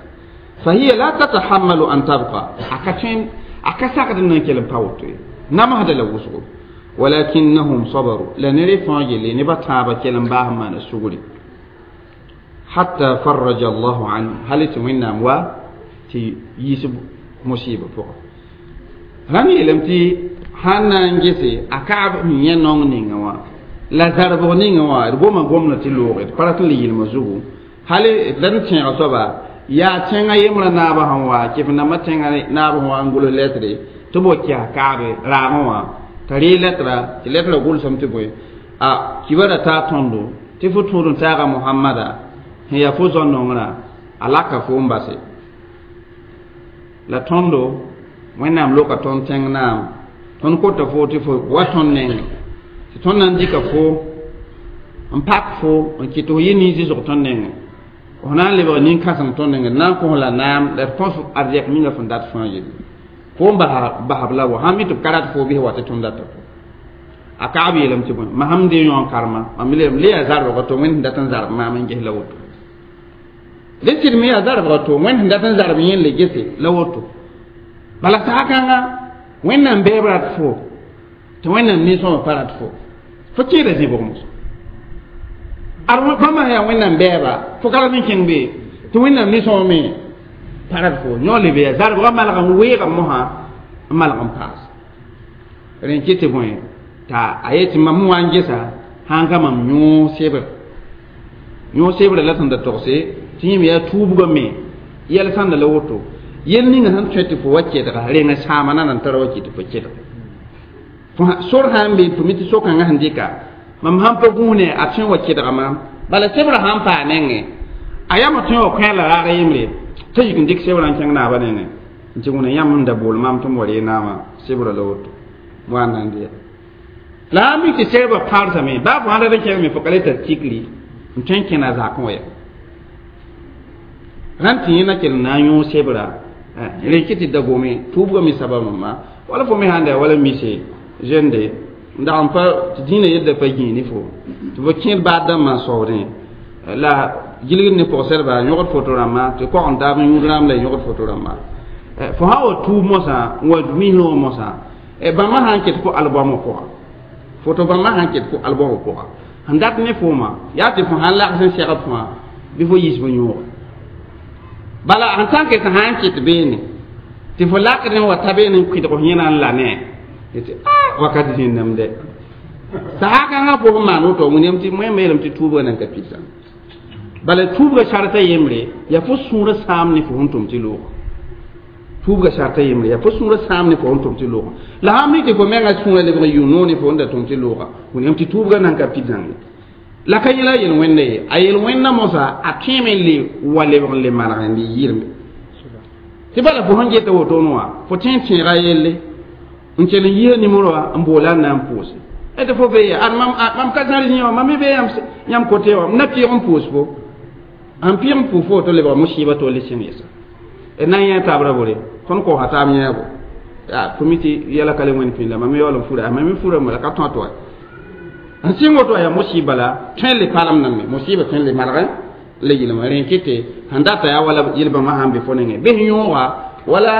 فهي لا تتحمل أن تبقى أكتين أكساكد n kell n pa woto ye namsda la wʋsgo ولكنهم صبروا la ned fãa yelle nebã tãabã kell n baas n maana sugri حتى فرج الله عنهم hal tɩ Wẽnnaam wa tɩ yiis musiba pʋgã rãmb yeelame tɩ sãn na n gese a kaab sẽn yẽ naong ninga wã la zarbg ninga wã d goma gomdã tɩ looge d pa rat n le yɩlmã zugu hal d n tẽeg soaba yaa tẽngã yembrã naabã sẽn wa kɩf nambã tẽngã naab sẽn wa n gʋls lɛtre tɩ b wa kɛs kaabe raagẽ wã t'a ree lɛtra tɩ lɛtrã gʋlsame tɩ bõe a kiba ra taa tõndo tɩ fo tũud n taaga Mohamada sẽn yaa fo zao-nongrã a laka fo n base la tõndo Wẽnnaam loka tõnd tẽng naam tõnd kota fo tɩ fo wa tõnd nenge tɩ tõnd na n dɩka fo n pak fo n kɩt fo yɩ nin-zɩsg tõnd nenge f na n lebg nin-kãseng tõnd nenge na n kos la naam la d kõs arzɛk ninga sẽn dat fãa yelle fo n basb la wa sãn mi tɩ b ka rat fo bɩs wa tɩ tõnd data fo a kaab yeelame tɩ bõe ma sãm dee yõ n karema mam leelame le yaa zarbga to Wẽnd sẽn dat n zarb maam n ges la woto le sɩd me yaa zarbga to Wẽnd sẽn dat n zarb yẽ le gese la woto bala saakãnga Wẽnnaam beeb rat fo tɩ Wẽnnaam nin-sõma pa rat fo fo kẽeda zĩbg moso ad bãmba sã yaa Wẽnnaam bɛɛba fo ka rat n kẽng be tɩ Wẽnnaam nin-sõma me pa rat fo yõ lebe yaa zarbgã malg n weega mosã n malg n paas rẽn kɩ tɩ bõe t'a a yet tɩ mam wa n gesa sãn ka mam yõ sebr yõ sebrã la sẽn da togse tɩ yẽme yaa tuubgã me yɛl sãnda la woto yel ninga sẽn tõe tɩ fo wa kɛdga reng sãama na nan tara wa kɩ tɩ fo kɛdg fo sor sã n be fo mi tɩ so-kãngã sẽn dɩka mam sãn pa gũune a tõe wa kɛdga maam bala sebrã sãn paa nengẽ a yama tõe wa kõ la raag yembre t'a yik n dɩk sebrã n kẽng naabã nengẽ n tɩ wẽna yãmb n da bool maam tɩ m wa ree naamã sebrã la woto wa n na n dɩya la sãn mik tɩ sebrã pãarsame baa fo sãn rat n kẽng me fo ka le tar tikri n tõe n kẽna zakẽ wa ya rãnd tɩ yẽ na kell n na n yõ sebra rẽ kɩ tɩ da gome tuubgã me sabab nãmba wala fo me sãn da wala mise jeune de n dag n pa tɩ dĩinã yelda pa gĩi ne fo tɩ fo kẽed baad dãmbã n saoodẽ la gilgd ne pʋgsedba yõgd foto rãmbã tɩ kog n taab n yũud rãmb la yõgd foto rãmbã fo sã wa tuub mosã n wa misẽ wã mosã bãmba sã n ket fo albɔmã pʋga foto bãmba sã n ket fo albɔmã pʋga sẽn dat ne fooma yaa tɩ fo sãn lags n segd fãa bɩ fo yis fo yõoga bala en tant que sã n kɩt beene tɩ fo lakd n wa ta beene n kʋɩdg f yẽna n la ne tɩ a wakat zĩnname de saakãngã fo sẽn maan woto wẽnem tɩ moẽm yeelame tɩ tuubgã nan ka pidsa bala tuubgã sarta yembre yaa fo sũurã sãam ne fo sẽn tʋm tɩ looga tuubgã sarta yembre yaa fo sũurã sãam ne fo sẽn tʋm tɩ looga la sãn mi tɩ fo menga sũurã lebg n yʋ noor ne fo sẽn da tʋm tɩ looga wẽnem tɩ tuubgã nan ka pid zãng ye la ka yẽla yel-wẽnda ye a yel-wẽnda mosã a tõeme n le wa lebg n le maneg n le yɩrme tɩ bala fo sẽn geta wotone wã fo tõe n tẽega yelle n kell n yiisa nimero wã n boola n na n pʋʋse tɩ fo be ya ad mam ka zãrs yẽ wã mam me be yãmb kote wã m na pɩɩg n pʋʋs fo n pɩɩg n pʋʋs fo woto lebga musiba tɩ wa le sẽng yɛsa d na n yẽ taabra bore tõnd kosa taab yẽebo fo mi tɩ yɛla ka le wẽnd pĩnd la mam me yaool n fura mam me furame la ka tõa tɩ wa n sɩng woto yaa musiba la tõe n le palemdame musiba tõe n le malgẽ le yɩlma rẽ kɩtɩ sẽn data yaa wala yel-bãmba sãn be fo nengẽ bɩ sẽn yõoga wala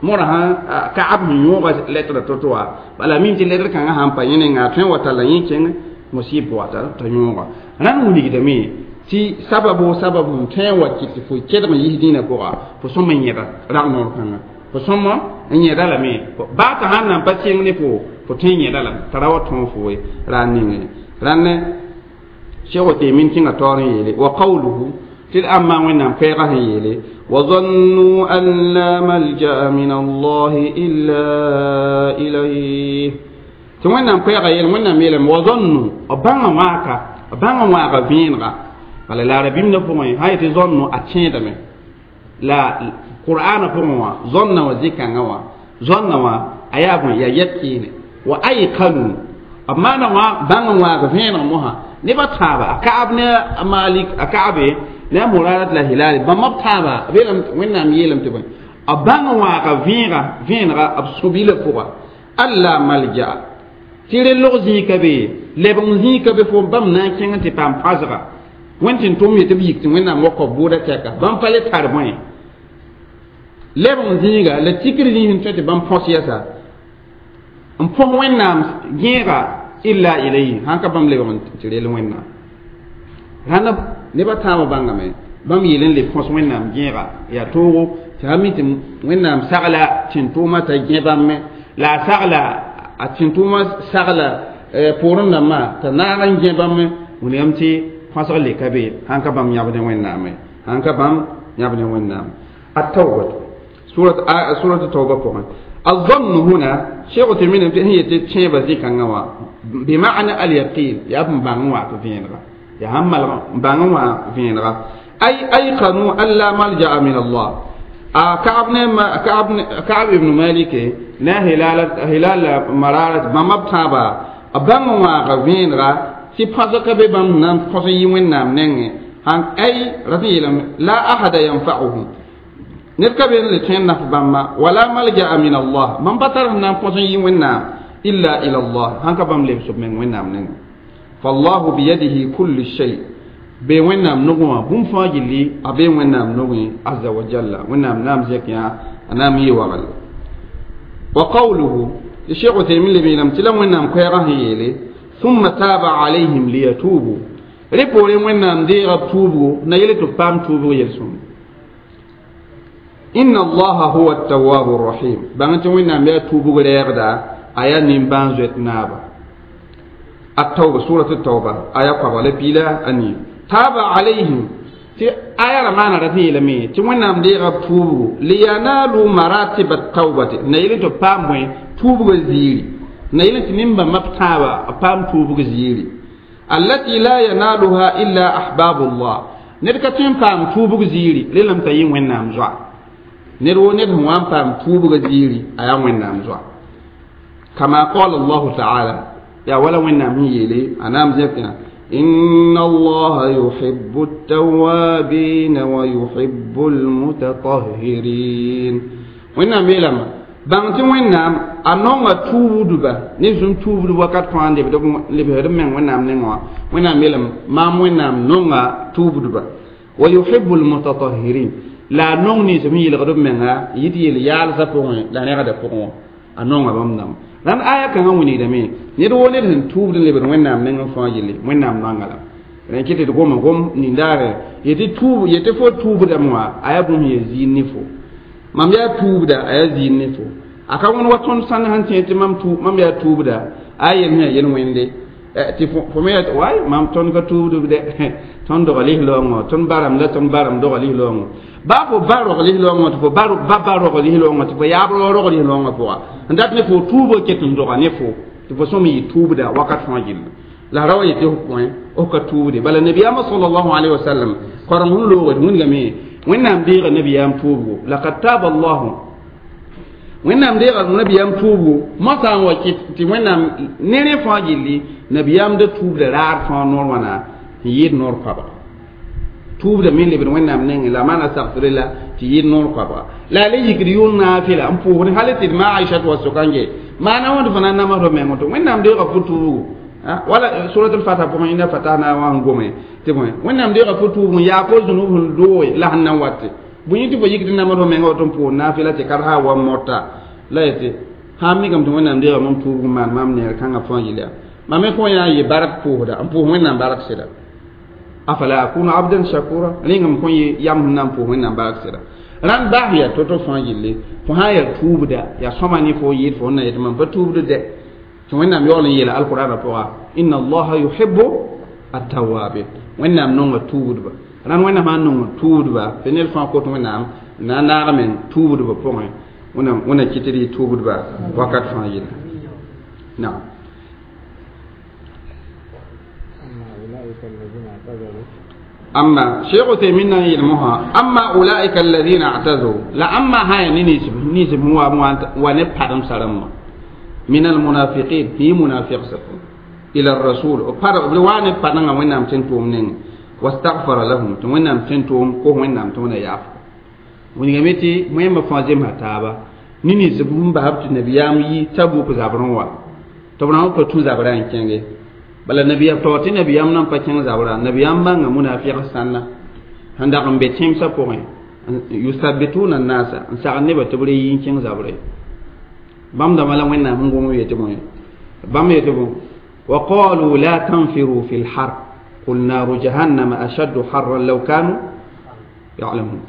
mora sãn kaab sẽn yõoga lɛtra to-to wã bala mim tɩ lɛtr kãngã sãn pa yẽ nenga a tõe n wa talla yẽ kẽng musib wata t'a yõoga rãnd wilgdame tɩ sababo sabab n tõe n wa kɩt tɩ fo kedg n yis dĩinã pʋga fo sõm n yẽda rag noor kãnga fo sõm n yẽda lame baa t'a sãn nan pa sɩng ne fo fo tõe n yẽda lame t'a ra wa tõog fo ye ra n ninge rãnd Cheikh Othemin kẽnga taoor n yeele wa qawluhu Tɩ d ãmbã Wẽnnaam koɛɛgã sẽn yeele وظنوا أن لا ملجأ من الله إلا إليه tɩ Wẽnnaam koɛɛgã yeel Wẽnnaam yeelame وظنوا b bãnga wãaka b bãnga wãaga vẽenega bala la rabĩmdã pʋgẽ sã yetɩ zõnno a tẽedame la qur'aanã pʋgẽ wã zõnna wã zĩ-kãngã wã zõnna wã a yaa bõe yaa yɛk-kɩɩne wa aykanu b maana wã bãng n waag vẽeneg mosã nebã tãaba a Kaab ne a Malik a Kaabe ne a Murarat la Hilal bãmb b tãaba b yeelame Wẽnnaam yeelame tɩ bõe b bãng n waaga vẽega vẽenega b sũ-bilã pʋga alla malja tɩ rel-log zĩig ka be lebg zĩig ka be fo bãmb na n kẽng tɩ paam pãsga Wẽnd tɩ n tʋm yetɩ b yik tɩ Wẽnnaam wa kao bʋʋda tɛka bãmb pa le tar bõe lebg zĩiga la tikr zĩig n tõe tɩ bãmb põs yɛsa n põs Wẽnnaam gẽega illa ilayhi sãn ka bãmb lebg tɩ rel Wẽnnaam rãnd nebã tãabã bãngame bãmb yeel n le põs Wẽnnaam gẽega yaa toogo tɩ sã mi tɩ Wẽnnaam sagla tẽn-tʋʋmã t'a gẽ bãmb me la a sagla a tẽn-tʋʋmã sagla poorẽ dãmbã t'a naag n gẽ bãmb wilgame tɩ põsg le ka be sãn ka bãmb yãbd Wẽnnaame sãn ka bãmb yãbd Wẽnnaam at-tawba surat tawba pʋgẽ الظن هنا شيخ تيمين هي تشيبا زي كانوا بمعنى اليقين يا ابن بانوا فينغا يا هم بانوا فينغا اي ايقنوا ان لا ملجا من الله كعب ابن مالك لا هلال مرارة ما مبتابا بانوا فينغا تي بازك بام نام فسي وين نام نين اي رضي لا احد ينفعهم نركب لتين نف بما ولا ملجا من الله من بطر نام فسي وين نام إلا إلى الله هنك بام لبسب من وين نام نين فالله بيده كل شيء بي وين نام نغوا بوم فاجلي أبي وين نام نغوي عز وجل وين نام نام زكيا أنا مي وغل وقوله الشيخ عثيمين لبي لم تلم وين نام كيره يلي ثم تاب عليهم ليتوبوا ريبوري وين نام دي توبوا نيلي تبام توبوا يلسون إن الله هو التواب الرحيم بانت وين نام يتوبوا غير آية نيمبان زوت نابا التوبة سورة التوبة آية قبل بلا أني تاب عليهم تي آية رمانا رتي لمي تي وين نام دي توبوا لينالوا مراتب التوبة نيلي تو بام وين توبوا زيري نيلي تنمبا مبتابا بام توبوا زيري التي لا ينالها إلا أحباب الله نركا تين بام توبوا زيري للم تيين وين نام زوا نرو نرهوان بام توبوا زيري آية وين نام زوا كما قال الله تعالى يا ولا وين يلي أنا مزيفنا إن الله يحب التوابين ويحب المتطهرين وين ميلما بانتي وين أنوما توبدبا نزوم توبد وقت فان دي لبهر من وين نوا وين ميلما ما وين نونغا توبدبا ويحب المتطهرين لا نوني سمي يلغدب منها يدي يال سفون لا نغدا فون أنوما بامنام ran aya kãngã wilgdame ned wo ned sẽn tuubd n lebd Wẽnnaam neng n fãa yelle Wẽnnaam nanga la rẽ kɩ tɩ d goma gom nindaare yetɩ tuub yetɩ fo tuubdame wã a yaa bũmb yaa ziir ne fo mam yaa tuubda a yaa ziir ne fo a ka wẽnd wa tõnd sãnd sẽn tẽ tɩ mam yaa tuubda a yel sẽn yaa yel-wẽnde tɩ fo me yaa way mam tõnd ka tuubdb dɛ tõnd dog lis-loongõ tõnd baram la tõnd baram dog lis-loongõ ba fo ba rog lis-loongõ tɩ fo ba ba rog lis-loongõ tɩ fo yaab rog lis-loongõ pʋga n dat ne fo tuubgo ket n doga ne fo tɩ fo sõm yɩ tuubda wakat fãa gilli la ra wa yetɩ f põe f ka tuubde bala nabiyaamã sallallahu alayhi wa sallam koreng sẽn loogd wĩndgame Wẽnnaam deega nabiyaam tuubgo laqad taaba allahu Wẽnnaam deega nabiyaam tuubgo mosã n wa kɩt tɩ Wẽnnaam ne rẽ fãa gilli nabiyaam da tuubda raar fãa noor wãna n yɩɩd noor koabga tuubda me lebd Wẽnnaam nengẽ la maana sagfrela tɩ yɩɩd noor koabga la a le yikd yʋʋn naafɩla n pʋʋsd hal tɩ d ma Aishat wa sʋka n ge maana wãnd fõ na n namsd meng tɩ Wẽnnaam deega fo tuubgo wala suratul fatiha pʋgẽ inna fatahna wã n gome tɩ bõe Wẽnnaam deega fo tuubg n yaa fo zũnub sẽn dooge la sẽn na n wate bõe yẽ tɩ fo yikd namsd mengã tɩ n pʋʋs naafɩla tɩ karsa wa mota la yetɩ sãn mikame tɩ Wẽnnaam deega mam tuubg n maan maam neer kãngã fãa yel yaa mam me fõ yaa n yɩ bark pʋʋsda n pʋʋs Wẽnnaam bark sɩda afala akunu abdan shakura rẽngame kõn yɩ yam sẽn na n pʋʋs Wẽnnaam bark sɩda rãnd bas yaa to-to fãa yelle fo sã n yaa tuubda yaa sõma ne fo yɩɩd fo na yetɩ mam pa tuubd dɛ tɩ Wẽnnaam yaool n yeela alqur'anã pʋga inna allaha yuhibbu At-tawwabin wẽnnaam nonga tuubdba rãnd wẽnnaam sã n nong tuubdba tɩ ned fãa kot wẽnnaam na n naag men tuubdba pʋgẽ wẽnnaam wẽnna kɩt d yɩ tuubdba wakat fãa yɩla naam. أما شيخ تيمين يلمها أما أولئك الذين اعتزوا لا أما هاي نيسب هو ونبحرم سلام من المنافقين في منافق سكون إلى الرسول وأنا بارنا وين نام تنتوم نين واستغفر لهم وين نام تنتوم كو وين نام تونا يعفو ونغمتي مهم فازم هتابا نيني زبون بحبت النبيام يي تبو كزابرون وا تبرون كو تو زابران كينغي bala nabiya to ti nabiyam nan pa kẽng zabra nabiyam bãnga munafiq sãnna sẽn dag n be tẽmsã pʋgẽ yusabituna nasa n sagd nebã tɩ b re yi n kẽng zabre bãmb dãmbã la wẽnnaam sẽn gom yetɩ bõe bãmb yetɩ bõ wa qalu la tanfiru fi lhar qul naru jahannama ashaddu harran law kanu yalamun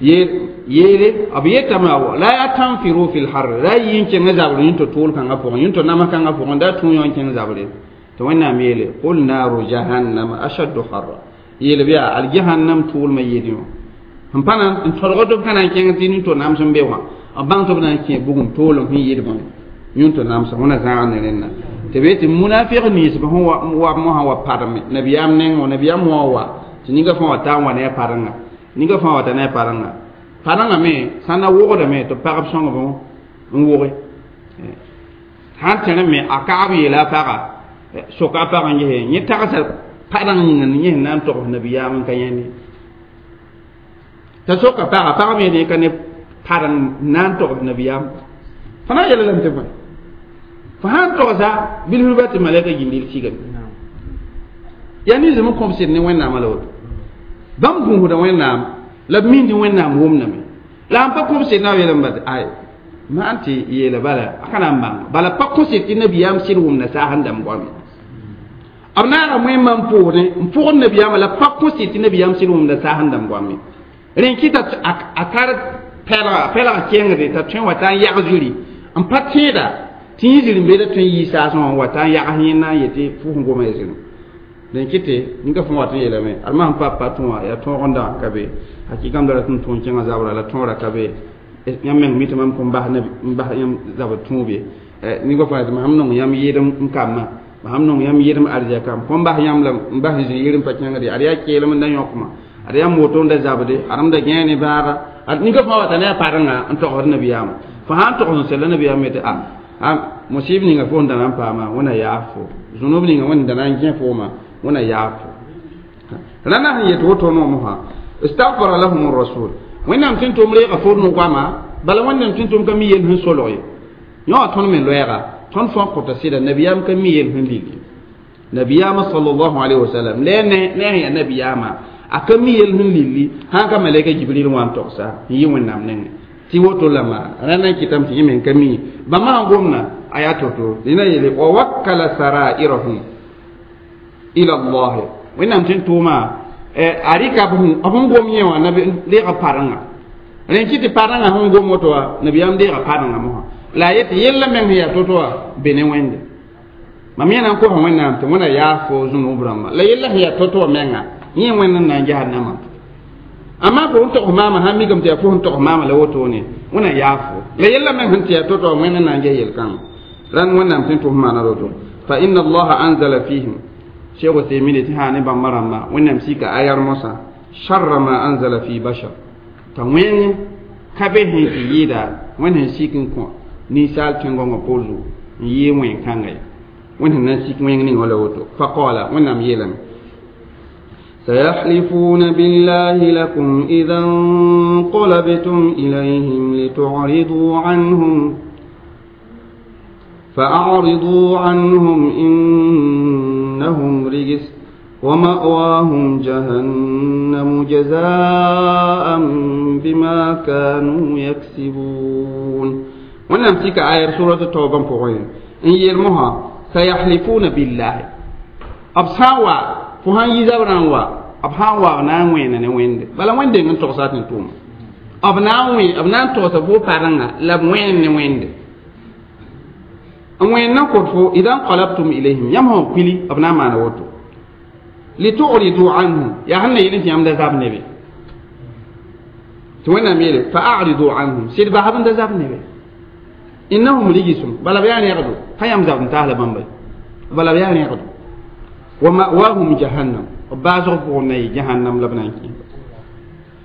yeele b yetame la tanfiru fi lhar ra yi n kẽngã zabre yẽn tɩ tʋʋl kãngã pʋgẽ yẽn tɩ namã kãngã pʋgẽ da tũ yõ n kẽng zabre تونا ميلي قل نار جهنم أشد حرا يلي بيا الجهنم طول ما يديو هم بانا ان ترغدو كان كين تين تو نام سن بيوا أبان تو بنا كين بوغم طول هم يدي يون تو نام سن هنا زان نينا تبيت منافق نيس هو هو مو هو بارم نبي ام نين ونبي ام هو تنيغا فون تا ونه بارنا نيغا فون تا نه بارنا بارنا مي سانا ووغدا مي تو بارب سون بون ووغي han tene me akabi la para soka pagã yese yẽ tagsa padãng yĩnga yẽ sẽn na n togs nabiyaam n ka yãende t'a soka pagã pag me ne ka ne padãng na n togs nabiyaam fo na n yɛla lame tɩ bõe fo sã n togsa bilfrba tɩ malɛka Jibril sigame yaa ninsem n kõb sɩd ne wẽnnaamã la woto bãmb gũusda wẽnnaam la b mind wẽnnaam wʋmdame la n pa kõb sɩd na b yeelame ba tɩ ay maan tɩ yeela bala a ka na n bãng bala pa kõ sɩd tɩ nabiyaam sɩd wʋmda saas n dãmb goame b naaga wẽmba n pʋʋsdẽ n pʋgd nabiyaamã la pa kõ sɩd tɩ nabiyaam sɩd wʋmda saas n dãmb goame rẽ kɩta a tar pɛlga kẽngde t'a tõe n wa t'a n yag zuri n pa tẽeda tɩ yẽ ziri n beeda tõe n yɩ saasẽ wã n wa t'a n yags yẽnda n yetɩ fʋs n goma ya zirẽ dẽn kɩtɩ ninga fõ wat n yeelame ad masẽn pa pa tũ wã yaa tõog n dãg ka be hakɩgam da rat n tũ n kẽngã zabra la tõora ka be yãmb meng mi tɩ mam kõn bas n bas yãmb zabr tũub ye ninga fõ tɩ mam nong yãmb yɩɩdem n kambã mam nong yãmb yɩɩdem arzɛka m kõn bas yãmb la n bas zĩ yɩɩdem pa kẽngde ad yaa keelem n da yõkma ad yaa moto n da zabde ad m da gãe ne baaga ad ninga fõ wata ne a padengã n togsd nabiyaamã fo sã n togs n sella nabiyaam yetɩ a musib ninga fo n da na n paama wẽna yaaf fo zũnub ninga wẽnd da na n gẽ fooma wẽna yaaf fo rãna sẽn yet woto noomsã istagfara lahum rasul wẽnnaam tɩ n tʋm reega fo no-goama bala wẽnnaam tɩ n tʋm ka mi yel sẽn solg ye yõ tõnd me loɛɛga tõnd fãa kõta sɩda nabiyaam ka mi yel sẽn lili nabiyaamã sallallahu alayhi wa sallam la ne sẽn yaa nabiyaamã a ka mi yel sẽn lili sãn ka malɛka Jibril wã n togsa n yɩ wẽnnaam nengẽ tɩ woto la maa rãnd n kɩtame tɩ yẽ meng ka mi bãmba sẽn gomna a yaa to-to dẽna yeele wa wakkala sarairahum ila Allah wẽnnaam tɩ n tʋʋma a rɩka b sẽn gom yẽ wã deega padengã rẽn kɩ tɩ padengã sẽn gom woto wã nabiyaam deega padengã mosã la a yetɩ yella meng sẽn yaa to-to wã be ne wẽnde mam yẽ na n kosa wẽnnaam tɩ wẽna yaas fo zũnub rãmba la yella sẽn yaa to-to wã menga yẽ wẽnd n na n jahannamã amma fo n togs maamã sãn mikame tɩ yaa fo sẽn togs maamã la wotone wẽna yaas fo la yella meng sẽn tɩ yaa to-to wã wẽnd n na n ges yel-kãngã rãnd wẽnnaam tɩ n tʋs maana roto fa inna allaha anzala fihim cheikh Uthaymin tɩ sã ne bãmba rãmba wẽnnaam sika ayar mosã sharra ma anzala fi bashar t'a wẽng ka be sẽn tɩ yɩɩda wẽnd sẽn sik n kõ ninsaal tẽn-gõngã poor zugu n yɩɩ wẽn-kãnga ye wẽnd sẽn na n sik wẽng ning wã la woto fa qaala wẽnnaam yeelame سيحلفون بالله لكم إذا انقلبتم إليهم لتعرضوا عنهم فأعرضوا عنهم إنهم رجس ومأواهم جهنم جزاء بما كانوا يكسبون. wẽnnaam sika ayar surat tauba pʋgẽ n yeel mosã sayahlifuna billahi b sã n wa fo sãn yi zabrã n wa b sã n wa b na n wẽena ne wẽnde bala wẽnde n togsa tɩ tʋʋma b na n wẽ b na n togsa fo padengã la b wẽen ne wẽnde n wẽen na kõt fo ida nqalabtum ilayhim yãmb sẽn kuili b na n maana woto Litu'ridu anhum ya sẽn na yel tɩ yãmb da zab nebe tɩ Wẽnnaam yeele fa'aridu anhum sɩd basb n da zab nebe innahum rigisum bala b yaa rẽgdo ka yãmb zabd n taas la bãmba bala b yaa rẽgdo wa ma'wahum jahannam b baasg pʋgẽ na yɩ jahannam la b na n kẽes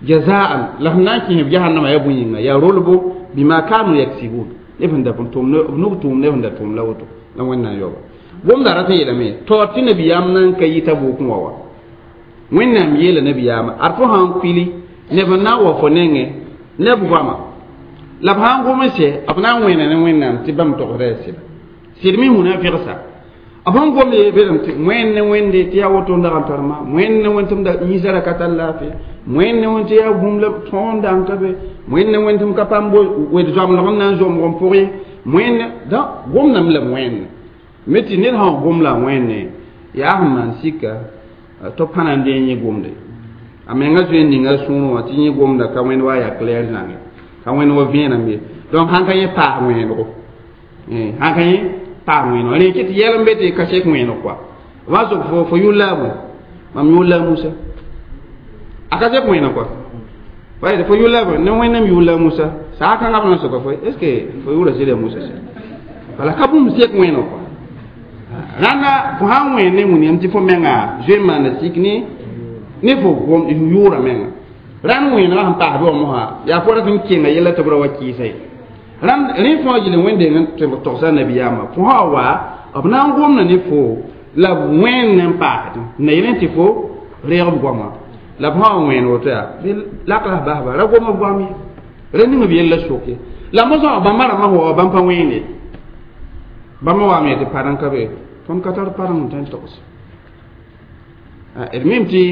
jazaan la sẽn na n kẽes jahannama yaa bõe yĩnga yaa rolbo bima kanu yaksibun neb sẽn da b nug tʋʋm neb sẽn da tʋʋm la woto la Wẽnnaam yaoba gomda rat n yeelame taoor tɩ nabiyaam nan ka yita bʋʋkẽ wa wa Wẽnnaam yeela nabiyaama ad fo sãn kuili neb n na n wa fo nengẽ neb goama la b sãn gom n sɛ b na n wẽna ne Wẽnnaam tɩ bãmb togsda yaa sɩda sɩd me hũna vegsa b sẽn gom ye belem tɩ wẽnd ne wẽnde tɩ yaa woto n dag n tar maam wẽnd ne wẽnd tɩ m da yĩsã ra ka tar laafɩ wẽnd ne wẽnd tɩ yaa bũmb la tõog n dang ka be wẽnd ne wẽnd tɩ m ka paam wed zoamlg n na n zomg n pʋg ye wẽnd donc gomdame la wẽnd me tɩ ned sã n gom la wẽnde yaa sẽn maan sika tɩ b pãna n dee yẽ gomde a menga zoe n ninga sũurẽ wã tɩ yẽ gomda ka wẽnd wa yaa clair zãnge ka wẽnd wa vẽenem ye donc sãn ka yẽ paas wẽedgo sãn ka yẽ paas wẽedgo rẽ kɩ tɩ yɛl n be tɩ ka sek wẽedg kɔa wa sok fo yʋl la a bõe mam yʋl la a Musa a ka sek wẽeneg kɔa wa fo yʋl la a bõe ne Wẽnnaam yʋl la a Musa saa kãngã b na n soka fo est ce que fo yʋʋra sɩda Musa sɛ bala ka bũmb sek wẽeneg kɔa rãnda fo sãn wẽen ne wĩniyam tɩ fo menga zoe n maana sik ne fo gom yʋʋra menga rãnd wẽenegã sẽn paas bɩ wã mosã yaa fo rat n kenga yɛla tɩ b ra wa kɩɩsa ye rãnd rẽ fãa yel wẽnd tɩ b togsa nabiyaamã fo sã wa b na n gomda ne fo la b wẽnd n paasd na yel tɩ fo reeg b goamã la b sã wa wẽen woto yaa bɩ lak la basba ra gom b goam ye ra ning b yella soke la mosã bãmba rãmbã wa bãmb pa wẽende bãmba waame tɩ padẽn ka be tõnd ka tar padeng n tõe n togs d mim tɩ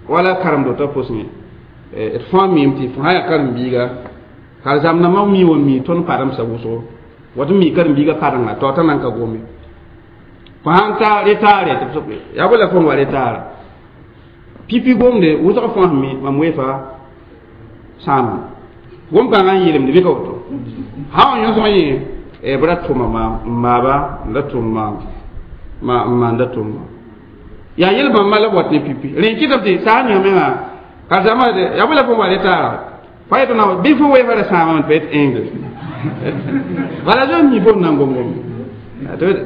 wala karem-dotã pʋsẽ d fãa mim tɩ fo sã yaa karen-biiga karen-zãmb-dãmbã mi wa mi tõnd pademsã wʋsgo wat n mi karen-biigã padenga taoor t'a nan ka gome fo sãn ta retaare tɩ b sok yaa bõe la fo n wa retaara pipi gomde wʋsg fãa sẽn mi mam weefa sãama gom-kãngã n yeelemde bɩ ka woto sã wa yõsg yẽ b ra tʋma maam n maaba n da tʋm maam ma n maan da tʋm maam yaa yel bãmba la b wat ne pipi rẽ kɩtame tɩ saa ninga menga karzãmbã yaa bõe la fo n wa retaara fa yetɩ na bɩ fo weefa ra sãamame tɩ pa yet engle bala zoe mi fo n na n gom-gom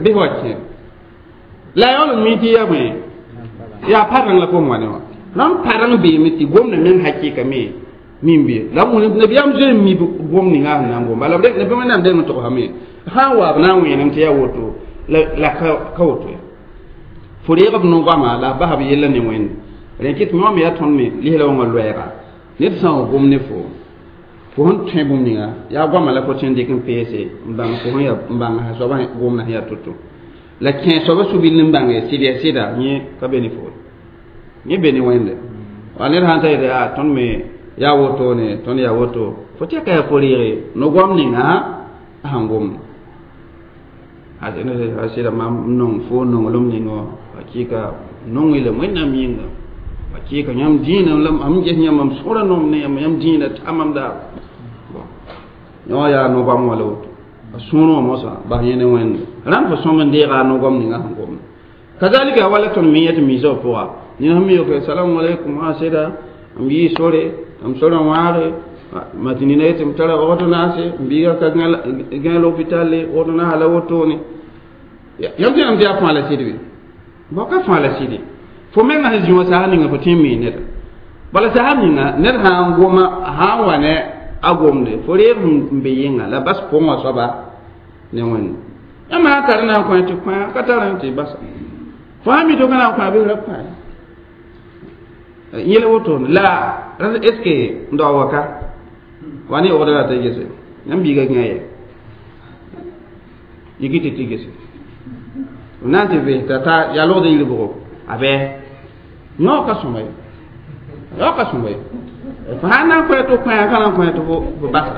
bɩ fo wa kẽ la yaool n mi tɩ yaa bõe yaa padeng la fo n wa ne wã rãmb padeng beeme tɩ gomda meng hakɩɩka me min be la nabiyaam zoe n mi gom ninga sẽn na n gom bala nabi Wẽnnaam deng n togsame sã n wa b na n wẽenem tɩ yaa woto la ka woto ya fo reeg b no-goama la b basa b yella ne Wẽnde rẽ kɩ tɩ yõ me yaa tõnd me lisla wãngã loɛɛga ned sã n gom ne fo fo sẽn tõe bũmb ninga yaa goama la fo tõe n dɩk n peese n bãng fo sẽn yaa n bãng a soabã gomdã sẽn yaa to-to la kẽ soabã su-bil n bãnge sɩd yaa sɩda yẽ ka be ne fo yẽ be ne Wẽnde wa ned sãn ta yetɩ a tõnd me yaa wotone tõnd yaa woto fo tɛka yaa fo reege no-goam ninga a sẽn gomda a sɩda mam nong fo nonglem ning wã hakɩɩka nong la Wẽnnaam yĩnga hakɩɩka yãmb dĩinã la m ges yãmb mam sõra nom ne yãmb yãmb dĩinã ta mam daa yõ yaa no-goam wã la woto a sũurẽ wã mosã bas yẽ ne Wẽnde rãmb fo sõm n deega a no-goam ninga sẽn gomda kazalika wala tõnd me yẽ tɩ miisã b pʋga ned sẽn mi yoke salamu alaikum a sɩda m yɩ sore m sorã wãage ma tɩ nina yetɩ m tara ordonnance m biiga ka gã l'hôpital le ordonnance la wotone yãmb tẽenam tɩ yaa fãa la sɩd be bao ka fãa la sɩde fo menga sẽn zĩ wã saas ninga fo tõe n mii neda bala saas ninga ned sã n goma sã n wa ne a gomde fo reeg n be yẽnga la bas pʋgẽ wã soaba ne Wẽnde yãmb sã n tar na n kõ tɩ kõ ka tar tɩ basa fo sã mi tɩ ka na n kõ bɩ ra kõ yẽl wotone la est ce que n daoog wa ka wa ne ogda la tɩ gese yãmb biiga gã ye yiki tɩ tɩ gese na n tɩ vɩs t'a ta yaa logd n yir bʋgo a bɩ yõ ka sõma ye yõ ka sõma ye fo sãn na n kõ tɩ kõ ka na n kõ tɩ fo basa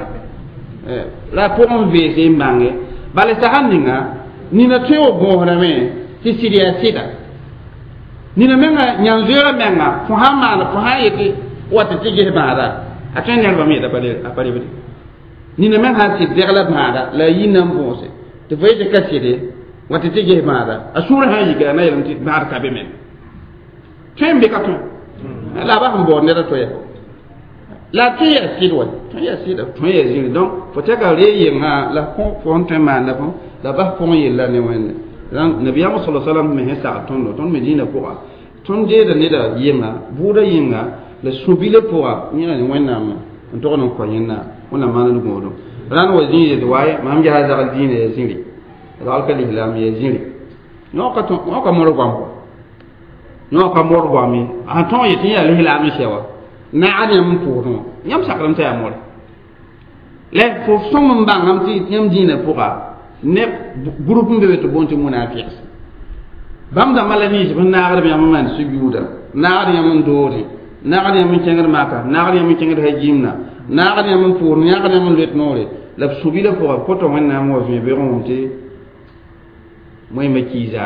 la pʋgẽ n veese n bãnge bala sag ninga nina tõe wa bõosdame tɩ sɩd yaa sɩda nina menga yãn-zoeerã menga fo sãn maan fo sãn yetɩ wa tɩ tɩ ges bãada a tõe nẽrbame yeta a pa rebde nina meng sãn sɩd degla bãada la a yi na n bõose tɩ fo yetɩ ka sɩde wa tɩ tɩ ges bãada a sũurã sã n yika na yeelame tɩ bãad ka be meng Tõe n be ka tõe la ba sẽn baood ned a to ya la tõe yaa sɩd wa tõe yaa sɩda tõe yaa zĩri donc fo tɛka ree yengã la fo sẽn tõe n maanda fõ la bas pʋgẽ yella ne wẽnde donc nabiyaamã sala salam me sẽn sagd tõndo tõnd me dĩinã pʋga tõnd deeda neda yɩnga bʋʋda yĩnga la sũ-bilã pʋga yẽna ne wẽnnaam n tog n kõ yẽnda wẽnnaam maand gõodum rãnd wa zĩig yetɩ waye mam ges a zagl dĩinã yaa zĩri zagl ka lislaam yaa zĩri yõ ka modg goam yõ ka modg goam ye sẽn tõog yetɩ yaa lislaam n sɛ wa naagd yãmb n pʋʋsẽ wã yãmb sakrem t'a yaa more la fo sõm n bãngame tɩ yãmb dĩinã pʋga ne groupe n be be tɩ boond tɩ munafiqs bãmb dãmbã la nins b naagd yãmb n maan sujuuda naagd yãmb n doodẽ naagd yãmb n kẽngd maka naagd yãmb n kẽngd hajimna naagd yãmb n pʋʋsd naagd yãmb n loet noore la b sũ-bilã pʋga kota wẽnnaam wa vẽ beoogẽ tɩ wẽmba kiisa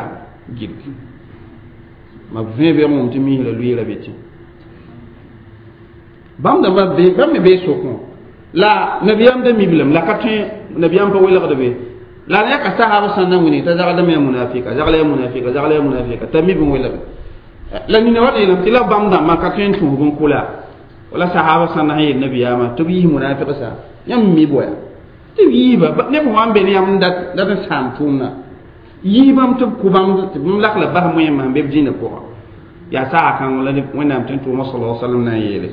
gilg ma vẽ beoogẽ tɩ misrã lʋɩɩra be tẽ bãmb dãmbã bãmb me bee sokẽ la nabiyaam da miblame la ka tõe nabiyaam pa welgd be la yãka sahab sã n na wĩnig t'a zagldame yaa munafika zagla yaa munafika zagla yaa munafika t'a mib n welge la nina wa yeelame tɩ la bãmb dãmbã ka tõe n tũusb n kʋla wala sahaba sã na sẽn yeel nabiyaamã tɩ b yiis munafiq sa yãmb mi boya tɩ b yiisba neb wã n be ne yãmb dat n sãam tʋʋmdã yiibãmb tɩ b kʋ bãmb tɩ bãmb lak la bas moẽmã sẽn be b dĩinã pʋgã yaa saga kãng la wẽnnaam tɩ n tʋʋmã sala salam na n yeele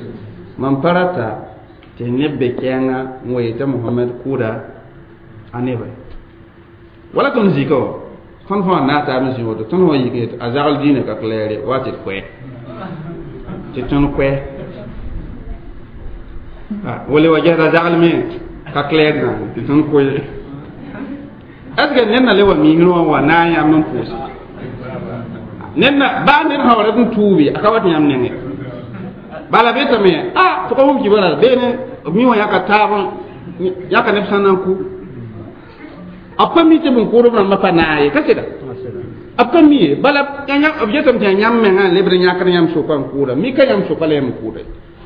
mam pa rata tɩ neb be kɛɛngã n wa yetã Mohamɛd kʋʋda a neba wala tõnd zika wa tõnd fãa na taab n zĩ woto tõnd wã yik yetɩ a zagl dĩinã ka claire wa tɩ d koɛ tɩ tõnd koɛ wala wa gesda zagl me ka claire zãng tɩ tõnd koe est ce que ned na le wa misrẽ wã wa na n yãmb n pʋʋse ned na baa ned sã wa rat n tuubi a ka wat yãmb nengẽ bala betame a fo ka wʋm kibara beene mi wã yãka taab yãka neb sã na n ku a pa mi tɩ bõn-kʋʋdb rãmbã pa naag ye ka sɩda a pa mi ye bala b yetame tɩ yaa yãmb mengã n lebd n yãkd yãmb soka n kʋʋda mi ka yãmb soka la yãmb kʋʋda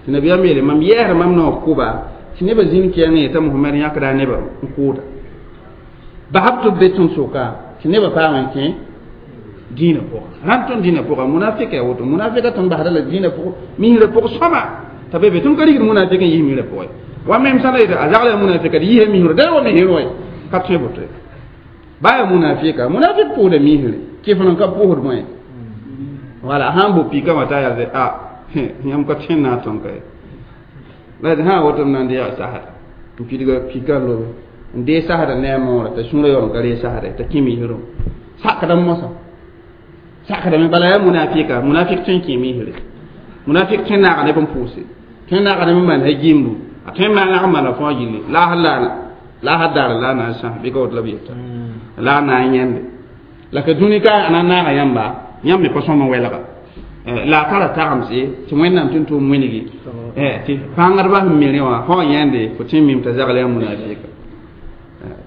tɩ nabiyaam yeele mam yɛɛsda mam naoor kʋba tɩ nebã zĩnd kɛɛngã yetã Mohamɛd yãkda a nebã n kʋʋda basb tɩ b be tõnd soka tɩ nebã paam n kẽ dĩinã pʋga rãnd tõnd dĩinã pʋga munafika yaa woto munafika tõnd basda la dĩinã pʋg misrã pʋg sõma t'a be be tõnd ka rigd munafik n yis misrã pʋgẽ wa mem sã la yetɩ a zagla yaa munafika d yisa misrã da wa misrã wa ka tõe boto baa yaa munafika munafik pʋʋsda misrẽ kɩf n ka pʋʋsd bõe wala sã n bo pika wã t'a yaa a yãmb ka tõe n na n tõnd ka ye la d sã woto m na n deega sasda n pidga pika n lobe n dee sasda ne a moorã t'a sũurã yaool n ka ree sasda t'a kẽ misrẽ sakdame mosã sakdame bala yaa munafika munafik tõe n kẽ misrẽ munafik tõe n naaga neb n pʋʋse tõe n naaga neb n maan ha-gimbu a tõe n naag n maana fãa gilli la a daar la a na n sãs bɩ ka woto la b yeta la a na n yãnde la ka dũni ka a na n naaga yãmba yãmb me pa sõm n welga la a tara tagemse tɩ wẽnnaam tɩ n tʋʋm wĩnigi tɩ pãngdbã sẽn mi rẽ wã fo wa yãnde fo tẽ mim t'a zagl yaa munafika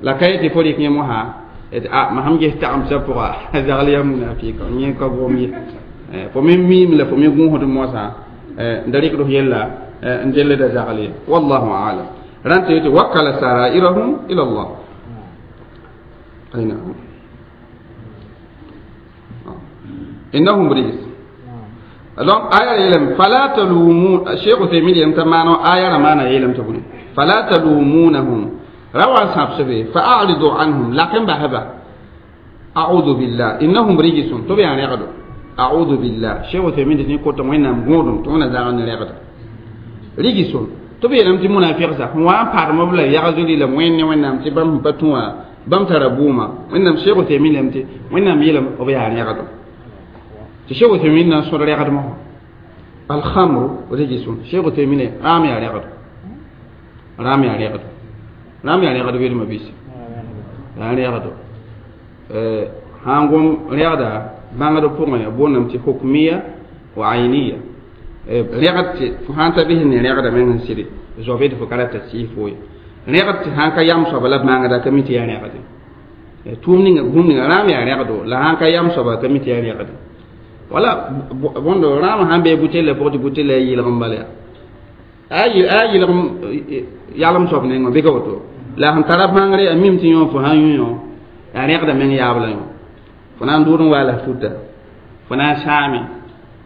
la ka yetɩ fo rɩk yẽ mosã a ma sãn ges tagemsã pʋga a zagl yaa munafika yẽ ka gom ye fo me miim la fo me gũusd mosã n da rɩkd f yella n dellda zagl ye wallahu alam rãnd tɩ yetɩ wakala sarairahum ila Allah ayna innahum rijs donc aya yeelame fala talumun Cheikh Uthaymin yeelame t'a maana aya ra maana yeelame t'a bũni fala talumunahum ra wa n sãbsbe fa aridu anhum lak n basba a'udhu billah innahum rijsun tɩ b yaa rẽgdo a'udhu billah Cheikh Uthaymin tɩ kota wẽnnaam gõodum tɩ wẽna zag n rẽgda rijsun tɩ b yeelame tɩ munafiqsa sẽn wa n padem b la yagzri la wẽnd ne wẽnnaam tɩ bãmb sẽn pa tũ wã bãmb tara bʋʋma wẽnnaam Cheikh Uthaymin yeelame tɩ wẽnnaam yeelame b yaa rẽgdo tɩ Cheikh Uthaymin na n sõd rẽgdmã wã alhamru rijsun Cheikh Uthaymin rãam yaa rẽgdo rãam yaa rẽgdo rãam yaa rẽgd welma bɩs yaa rẽgdo sã n gom rẽgda bãngd pʋgẽ boondame tɩ hukmiya wa ayniya rẽgd tɩ fo sã n ta bɩs ne rẽgda meng n sɩd zoabd fo ka rata sɩɩs fo ye rẽgd tɩ sã n ka yam soaba la bãngda ka mi tɩ yaa rẽgde tʋʋm ninga bũmb ninga rãam yaa rẽgdo la sã n ka yam soaba ka mi tɩ yaa rẽgde wala bõndo rãam sãn bee butella pʋgẽ tɩ butella yaa yɩlg n bala yaa a yɩlg yalem soab nengẽ bɩ ka woto la sẽn tara bãngre a mim tɩ yõ fo sã n yũ yõ yaa rẽgda meng yaab la yõ fo na n dʋʋd n waa la futa fo na n sãame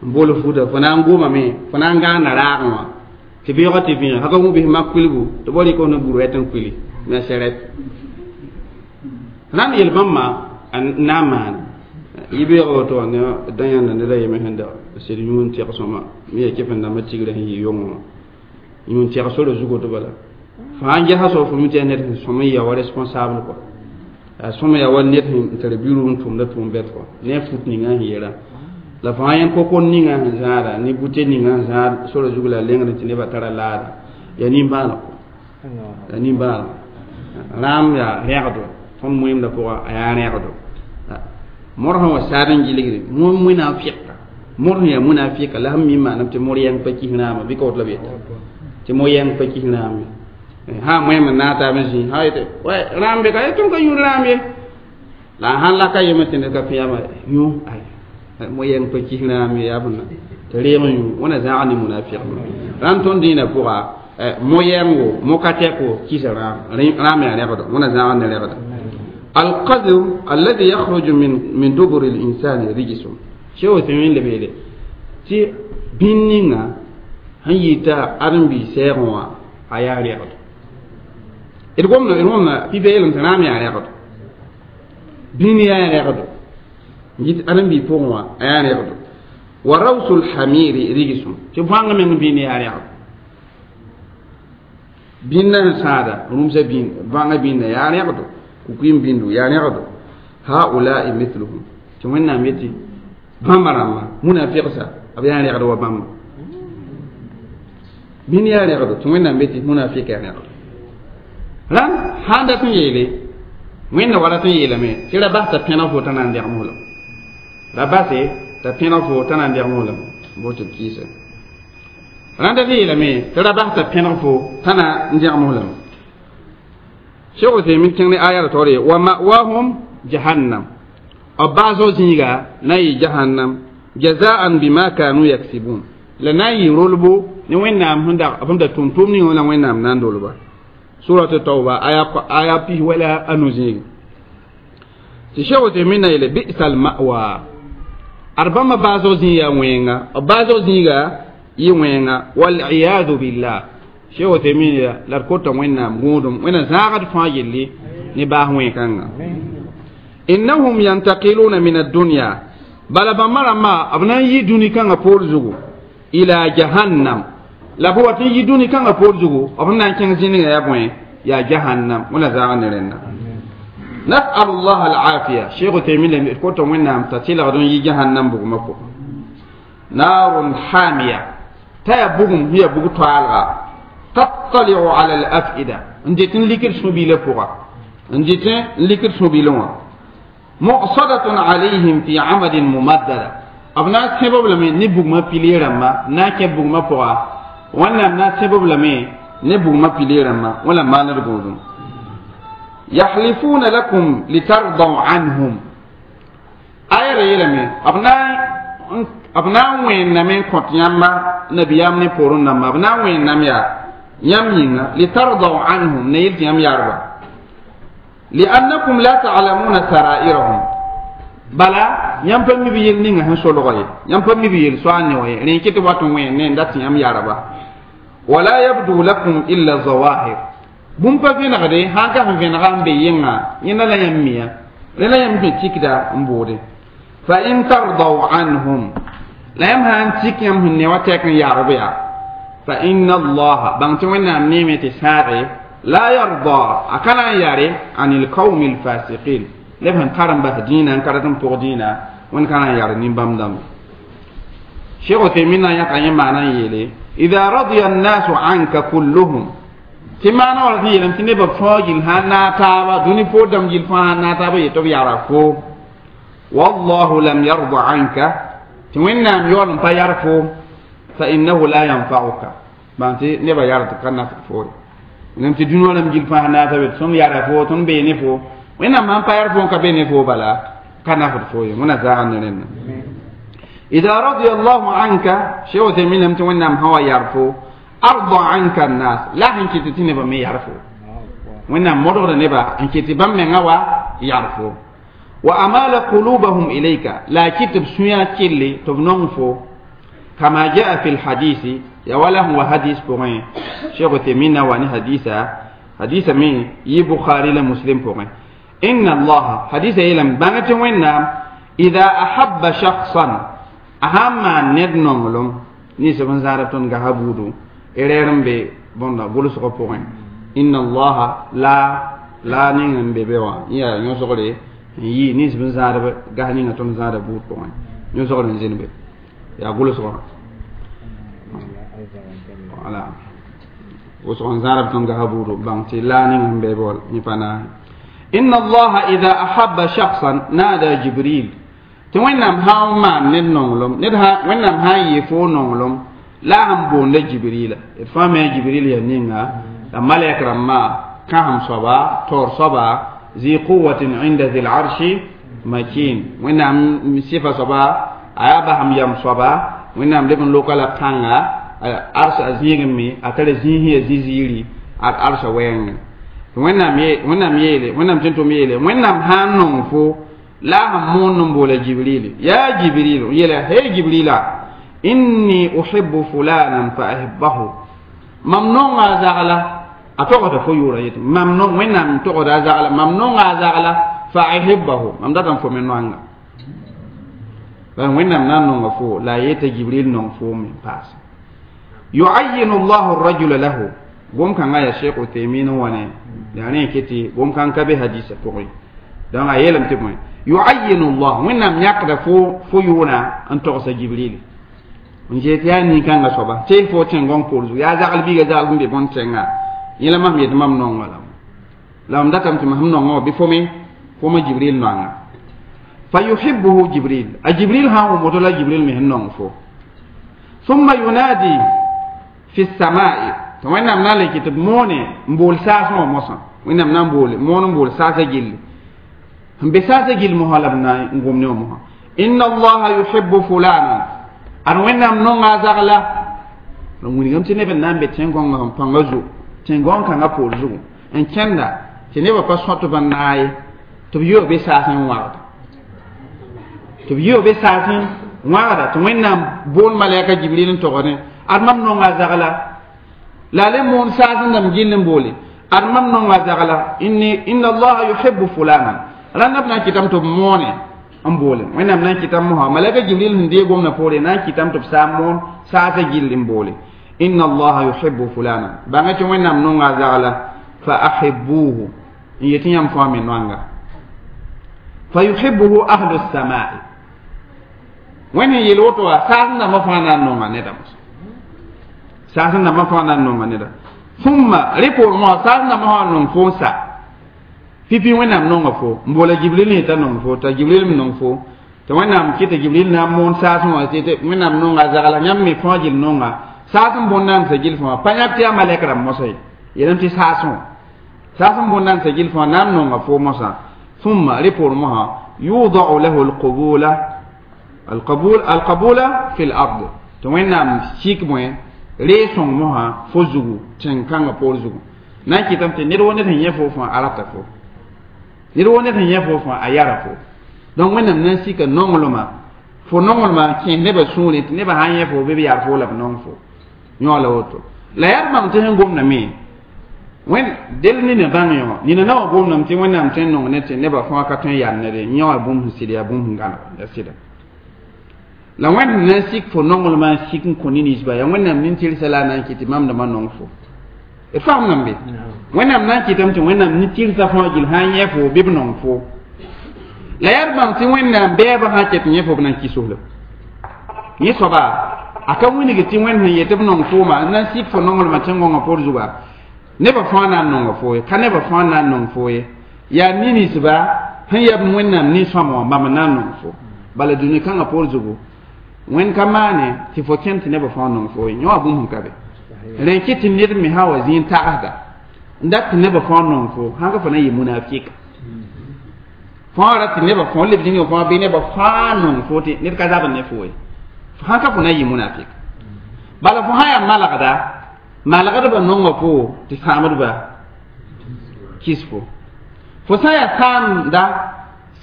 N bool futa fo na n gomame fo na n gãanda raagẽ wã tɩ beoogã tɩ vẽeg haka wũ bɩs mak kuilgu tɩ bo rɩk ne bur wɛt n kuili me sɛrɛt rãmb yel bãmba n na n maane yɩ-beoogã woto wã ne dã yãnda ned a yeme sẽn da sed yũun tɛg sõma me ya kɩf n dãmba tigrã sẽn yɩ yongẽ wã yũun tɛg sora zug woto bala fo sãn gesa soab fo mi tɩ yaa ned sẽn sõm n ya wa responsable kɔa yaa sõm yaa wa ned sẽn tar biru n tʋmda tʋʋm-bɛt kɔa ne a fut ninga sẽn yeelã la fo sãn yẽ kokor ninga sẽn zãada ne bute ninga sẽn zãad sora zug la a lengd tɩ nebã tara laada yaa nimbãaneg yaa nimbãaneg rãam yaa rẽgdo tõnd moeemdã pʋga a yaa rẽgdo mor sẽn wa saad n gilgre munafiqa mor sẽn yaa munafiqa la sẽn mi maanam tɩ mor yãng pa kis rãama bɩ ka woto la b yeta tɩ mo yãng pa kis rãam ye sã moeem n naag taab n zĩ sã yete rãam be ka ye tõnd ka yũud rãam ye la a sãn laka yeme tɩ ned ka fẽyama yũ ay mo yãng pa kis rãam ye yaa bõna tɩ reeg n yũ wẽna zãag ne munafiq rãnd tõnd dĩinã pʋga mo yãngo mo ka tɛko kisa rãam rãam yaa rẽgdo wẽna zãag ne rẽgda القذر الذي يخرج من دبر الإنسان رجس شو تمين لبيلي تي بينينا هنيتا أرنبي سيروا أيا رياض إرغمنا في بيلم تنام يا رياض بيني يا رياض جيت أرنبي فوقوا أيا رياض وروس الحمير رجس تفهم من بيني يا رياض بيننا سادة رمز بين فان بيننا يا رياض kukim bindu ya rẽgdo haulai mithluhum tɩ wẽnnaam yetɩ bãmba rãmba munafiqsa b yaa rẽgd wa bãmba bĩn yaa rẽgdo tɩ wẽnnaam yetɩ munafik yaa rẽgdo rãmb sãn dat n yeele wẽnda wa rat n yeelame tɩ ra bas t'a pẽneg fo t'a na n dɛgem fo lame ra base t'a pẽneg fo t'a na n dɛgem fo lame bo tɩ b kɩɩsa rãnd dat n yeelame tɩ ra bas t'a pẽneg fo t'a na n dɛgem fo lame Cheikh Uthaymin kẽng ne aya la taoore wa ma'wahum jahannam b baasg zĩiga na n yɩ jahannam jazaan bima kanu yaksibun la na n yɩ rolbo ne wẽnnaam sẽn da tʋm tʋʋm ninga la wẽnnaam na n dolba surat tauba aya pis wala anu zĩigi tɩ Cheikh Uthaymin na yeele bi'sa al-ma'wa ad bãmba baasg zĩig yaa wẽnga b baasg zĩiga yɩ wẽnga waliyadu billah Cheikh Uthaymin la d kota wẽnnaam gũudum wẽnna zãagd fãa yelle ne baas wẽn-kãnga innahum yantaqiluna min addunya bala bãmba rãmba b na n yi dũni kãngã poor zugu ila jahannam la b wat n yi dũni kãngã poor zugu b na n kẽng zĩnigã yaa bõe yaa jahannam wẽna zãag ne rẽnda nas'al llah alafiya Cheikh Uthaymin la d kota wẽnnaam t'a tɩlgd n yi jahannam bugmã pʋgẽ naarun hamiya t'a yaa bugum sẽn yaa bug toaalga تطلع على الأفئدة نديتن لكر سبيل فوقا نديتن لكر سبيل مؤصدة عليهم في عمد ممددة أبناء سبب لمن نبوغ ما بيلي رما ناكي بوغ ما فوقا وانا أبناء سبب لمن نبوغ ما بيلي رما ولا ما نرغوزم يحلفون لكم لترضوا عنهم آية ريلمي أبناء وين نمين كنت يما نبيام نبورون نما أبناء وين نميا yãmb yĩnga litardaw anhum ne yel tɩ yãmb yarba liannakum la ta'lamuna sarairahum bala yãmb pa mi b yel ninga sẽn solga ye yãmb pa mi b yel soa ne wa ye rẽ kɩ tɩ wat n wẽen ne n dat tɩ yãmb yarba wala yabdu lakum illa zawahir bũmb pa vẽnegde sãn ka sẽn vẽnega n be yẽnga yẽnda la yãmb miya rẽ la yãmb sẽn tikda n boode fa in tardaw anhum la yãmb sã n tik yãmb sẽn ne wa tɛk n yagb yaa فإن الله بانت وين نيمة ساعي لا يرضى أكن ياري عن القوم الفاسقين لفهم كارم به دينا كارم فوق دينا وين كان ياري نبام دم شيخ تيمنا يقع معنى يلي إذا رضي الناس عنك كلهم تمانا ولا يلم تنبى فوجل هنا تابا دوني فودم جل فانا تابا يتوب يعرفو والله لم يرضى عنك تمنى يولم فيعرفو فإنه لا ينفعك بانتي نبا يارد كنا فوري نمتي دونو لم جيل فانا تابا سم يعرفو تم بيني فو وين ما فيعرفو كبيني فو بلا كنا فوري منا زعلنا لنا إذا رضي الله عنك شو تمين لم تمنى هو يعرفو أرضى عنك الناس لا هنك تتني بمي يعرفو وإن مرغ نبا هنك تبم هو يعرفو وأمال قلوبهم إليك لا كتب سويا كلي تبنونفو Kama jaa fi lhadisi ya wala sẽn wa hadis pʋgẽ Cheikh Uthaymin na wa ne hadisa hadisa me yɩ Bukhari la Muslim pʋgẽ inna allaha hadisa yeelame bãng tɩ Wẽnnaam ida ahabba shakhsan a sãn maan ned nonglem ninsb n zãadb tõnd gasa buudu erɛɛr n be bõnda gʋlsgã pʋgẽ inna allaha la la ning n be be wã yaa yõsgre n yɩ ninsb n zãadb gas ninga tõnd zãada buud pʋgẽ yõsgr n zĩnd be yaa gʋlsgã wala wʋsg n zãadb tõnd gasa buudu bãng tɩ la ning n be be wã yẽ pa naase inna allaha ida ahabba shakhsan nada Jibril tɩ Wẽnnaam sã n maan ned nonglem ned Wẽnnaam sã n yɩ fo nonglem la a sẽn boonda Jibrila d fãa me Jibril yaa ninga la malɛk rãmbã kãsem soaba taoor soaba zi quwatin inda zi larshi makin Wẽnnaam sɩfa soaba a yaa basem yam soaba Wẽnnaam leb n loka la pãnga arsa a zĩigẽ me a tara zĩis ya zĩ-ziiri ad arsa wɛɛngẽ Wẽnnaam yeele Wẽnnaam tɩ n tʋm yeele Wẽnnaam sã n nong fo la sẽn moond n boola Jibril ya Jibril yeela hey Jibrila inni uhibbu fulanan fa ahibbahu mam nonga a zagla a togda fo yʋʋra yetɩ mam nong Wẽnnaam togda a zagla mam nonga a zagla fa ahibbahu mam datã n fo me noanga bala Wẽnnaam na n nonga fo la a yeta Jibril nong fo me n paase yuayinu llahu rajula lahu gom-kãngã yaa Cheikh Uthaymin n wa ne yaa rẽ n tɩ gom-kãng ka be hadisa pʋgẽ donc a yeelame tɩ bõe yuayinu llah Wẽnnaam yãkda fo fo yʋʋna n togsa Jibril n yet yaa nin-kãngã soaba tɩ fo tẽn-gõng poor zugu yaa zagl biiga zagl sẽn be bõn tẽnga yẽ la mam yet mam nonga la mam datame tɩ mam sẽn nongã wã bɩ fo me fo Jibril noanga fa yuhibbuhu Jibril a Jibril sã n wʋm woto la Jibril me sẽn nong fo thumma yunadi fi samai tɩ Wẽnnaam na n le kɩ tɩ b moone n bool saasẽ wã mosã Wẽnnaam na n boole moon n bool saasã gilli sẽn be saasã gill mosã la b na n gom ne wã mosã inna allaha yuhibbu fulanan ad Wẽnnaam nonga a zagla la wilgame tɩ neb n na n be tẽn-gõngã sẽn pãngã zugu tẽn-gõng kãngã poor zugu n kẽnda tɩ nebã pa sõtb n naay tɩ b yeo be saasẽ n wãgda tɩ b yeo be saasẽ wãgda tɩ Wẽnnaam bool malɛka Jibril n togdẽ ad mam nonga a zagla la a le moon saasẽ dãmb gill n boole ad mam nonga a zagla inni inna allaha yuhibbu fulanan rãnda b na n kɩtame tɩ b moone n boole Wẽnnaam na n kɩtame mosã malɛka Jibril sẽn deeg gomdã poore na n kɩtame tɩ b saa n moon saasã gill n boole inna allaha yuhibbu fulanan bãnga tɩ Wẽnnaam nonga a zagla fa ahibbuhu n yetɩ yãmb fãa me noanga fa yuhibbuhu ahlu samai Wẽnd sẽn yeel woto wã saasẽ dãmbã fãa na n nonga nedã mosã saasẽ dãmbã fãa na n nonga neda thumma rẽ poorẽ wã saasẽ dãmbã fãa nong fo n sa pipi Wẽnnaam nonga fo n boola Jibril yetã nong fo t'a Jibril me nong fo tɩ Wẽnnaam kɩ tɩ Jibril na n moon saasẽ wã tɩ Wẽnnaam nonga a zagla yãmb me fãa gill nonga saas n bõnd na n sa gill fãa pa yãb tɩ yaa malɛk rãmb mosã ye yeelame tɩ saasẽ wã saas n bõnd na n sa gill fãa na n nonga fo mosã thumma rẽ poorẽ mosã yudau lahu alqubula alqabul alqabula fi lard tɩ Wẽnnaam sik bõe ree sõng mosã fo zugu tẽn-kãngã poor zugu na n kɩtame tɩ ned wo ned sẽn yẽ fo fãa a rata fo ned wo ned sẽn yẽ fo fãa a yara fo donc Wẽnnaam na n sika nonglmã fo nonglmã kẽes nebã sũurẽ tɩ nebã sã n yẽ fo bɩ b yar fo la b nong fo yõ la woto la yaa bãmb tɩ sẽn gomdame wẽn del nina bãng yõ nina na wã gomdame tɩ Wẽnnaam tõe n nong ne tɩ nebã fãa ka tõe n yar nede yõ wã bũmb sẽn sɩd yaa bũmb sẽn gãnega yaa sɩda la Wẽnd na n sik fo nonglmã n sik n kõ ne-ninsba yaa Wẽnnaam nin-tɩrsa la a na n kɩ tɩ mam dãmbã nong fo d faamdame be Wẽnnaam na n kɩtame tɩ Wẽnnaam nin-tɩrsa fãa gill sã n yẽ fo bɩ b nong fo la yaa d bãng tɩ Wẽnnaam bɛɛbã sã ket yẽ fo b na n kɩs-f yẽ soaba a ka wilg tɩ Wẽnd sẽn yet b nong fooma n na n sik fo nonglmã tẽn-gõngã poor zuga nebã fãa na n nonga fo ye ka nebã fãa na n nong fo ye yaa ne-ninsba sẽn yab Wẽnnaam nin-sõama wã bãmb n na n nong fo bala dũni kãngã poor zugu Wẽnd ka maane tɩ fo kẽnd tɩ nebã fãa nong fo ye yõ wã bũmb sẽn ka be rẽ kɩ tɩ ned me sã wa zĩig n tagsda n dat tɩ nebã fãa nong fo sãn ka fo na n yɩ munafika fãa ra tɩ nebã fãa leb zĩnga fãa bɩ nebã fãa nong fo tɩ ned ka zabd ne fo ye sãn ka fo na n yɩ munafik bala fo sã yaa malgda malgdbã nonga fo tɩ sãamdba kis fo fo sã n yaa sãamda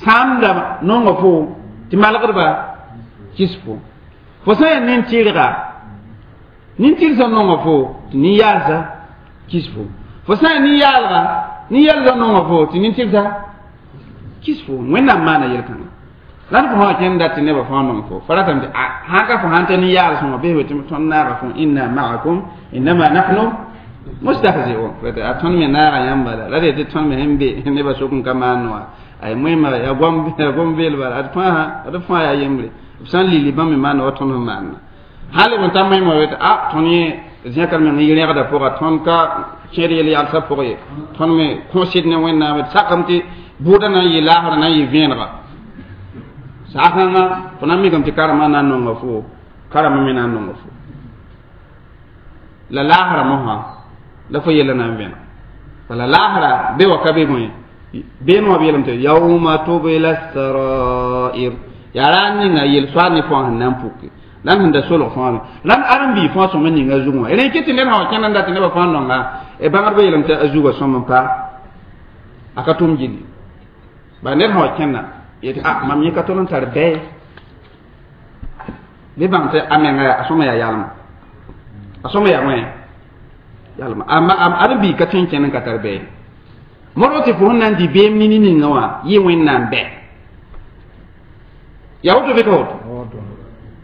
sãamda nonga fo tɩ malgdba kis fo Fo sã n yaa nin-tɩrga nin-tɩrgsã nonga fo tɩ nin-yaalsã kis fo fo sã n yaa nin-yaalga nin-yɛlsã nonga fo tɩ nin-tɩrgsã kis fo wẽnnaam maana yel-kãngã la d fo sã kẽnd dat tɩ nebã fãa nong fo fa ratame tɩ sãn ka fo sãn ta nin-yaals wã bɩ tɩ tõnd naaga fo inna ma'akum innama nahnu mustahzi'un a tõnd me naaga yãmba la la d yetɩ tõnd me sẽn be nebã sʋk n ka maan wã ay moẽma yaa gom beel bala ad fãa ad fãa yaa yembre b sã n lili bãmb me maanda wa tõnd sẽn maanda hal b ta moẽma wet a tõnd yẽ zẽkr meng y rẽgda pʋga tõnd ka kẽed yel-yalsã pʋg ye tõnd me kõsd ne wẽnnaam d sakame tɩ bʋʋda na n yɩ laasra na n yɩ vẽenega saakãngã fo na n mikame tɩ karema na n nonga fo karema me na n nonga fo la laasra mosã la fo yella na n vẽneg bala laasra be wa ka be bõe been wã b yeelame tɩ yauma tubla sarair yaa raar ninga yel-soaad ne fãa sẽn na n puke la sẽn da solg fãa me la ãrem-biig fãa sõm n ninga zugẽ wã rẽ kɩ tɩ ned sã wa kẽnd n dat tɩ nebã fãa nonga bãngdbã yeelame tɩ a zugã sõm n pa a ka tʋm gilli ba ned sã wa kẽnda yetɩ a mam yẽ ka tol n tar bɛɛ bɩ bãng tɩ a menga a sõma yaa yalma a sõma yaa wẽ yalma ãrem-biig ka tõe n kẽnd n ka tar bɛɛ modg tɩ fo sẽn na n dɩ beem ne niningã wã yɩ wẽnnaam bɛ yaa woto bɩ ka woto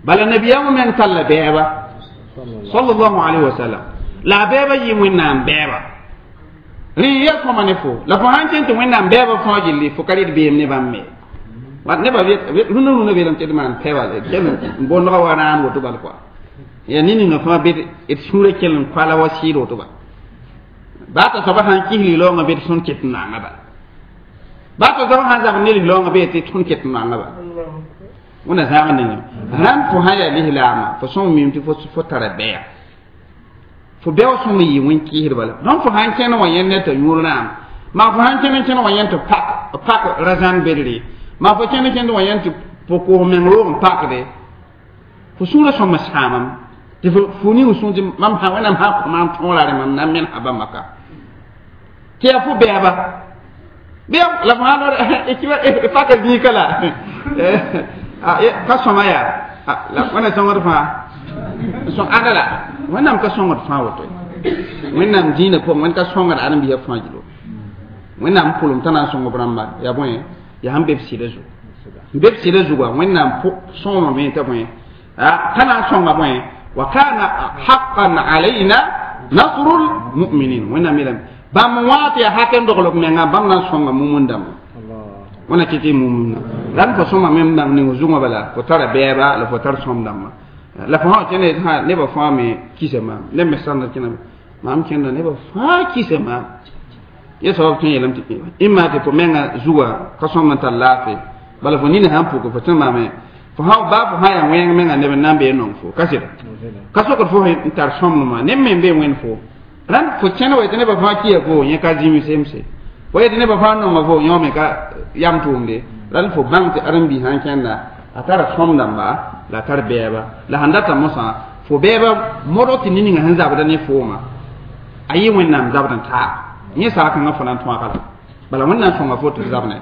bala nabiyaamã meng talla bɛɛba sallallahu alayhi wa sallam la a bɛɛba yɩ wẽnnaam bɛɛba rẽ ya sõma ne fo la fo sãn kẽn tɩ wẽnnaam bɛɛba fãa gilli fo ka rɩd beem ne bãmb me nebã rũnã rũnã beelame tɩ d maan pɛba kell n bondga wa rãam woto bal kɔa yaa ne-ninga fãa bɩ d sũurã kell n koala wa sɩɩd woto ba baa t'a soaba sãn kis liloongã bɩ d tõnd ket n naanga bala baa t'a soaba sãn zab ne liloongã bɩ tɩ tõnd ket n naanga bala wẽnna zãag ninga rãmb fo sã yaa lislaamã fo sõm mim tɩ fo tara bɛya fo bɛo sõm n yɩ wẽn-kɩɩsd bala donc fo sãn kẽn wã yẽnd ne t'a yũur rãam maa fo sãn kẽn n kẽn wã yẽnd tɩ pak ra-zãn bedre maa fo kẽn n kẽnd wã yẽnd tɩ pʋ-koos meng roog n pakde fo sũurã sõm n sãamam tɩ fo ning sũur tɩ mam sã wẽnnaam sã kõ maam tõora rẽ mam na n mensa bãmba ka tɩ yaa fo bɛɛba bɩ la fo sã paka zĩika la ka sõma yaa la wẽnna sõngd fãa sõng ãnda la wẽnnaam ka sõngd fãa woto wẽnnaam dĩinã pʋgẽ wẽnd ka sõngd ãrem-biisã fãa gilo wẽnnaam pʋlem t'a na n sõng b rãmba yaa bõe yaa sẽn be b sɩda zugu n be b sɩda zugã wẽnnaam sõomame t'a bõe t'a na n sõnga bõe wa kana haqqan alayna nasrul mu'minin wẽnnaam yeelame bãmb wã tɩ yaa hak n dogl b menga bãmb na n sõnga mumund dãmba wẽna kɩ tɩ mumunda la d fo sõma me n bãng ning zugã bala fo tara bɛɛba la fo tar sõm dãmba la fo sã kẽnd sã nebã fãa me kisa maam neb me sãnda kẽna maam kẽnda nebã fãa kisa maam yẽ soab tõe n yeelame tɩ ĩmma tɩ fo menga zugã ka sõm n tar laafɩ bala fo nina sãn pʋke fo tẽ maame fo sã baa fo sã yaa wẽng menga neb n na n bee nong fo ka sɩda ka sokd fo n tar sõmdmã neb me n bee wẽnd fo rãnd fo kẽnd wa yetɩ nebã fãa kiya fo yẽ ka zĩm semse fo yetɩ nebã fãa nonga fo yõ me ka yam tʋʋmde rãnd fo bãng tɩ ãrem-biis sãn kẽnda a tara sõm dãmba la a tar bɛɛba la sãn data mosã fo bɛɛba modg tɩ ne-ninga sẽn zabda ne fooma a yɩ wẽnnaam zabd n taab yẽ saakãngã fo na n tõaga la bala wẽnnaam sõnga fo tɩ f zabne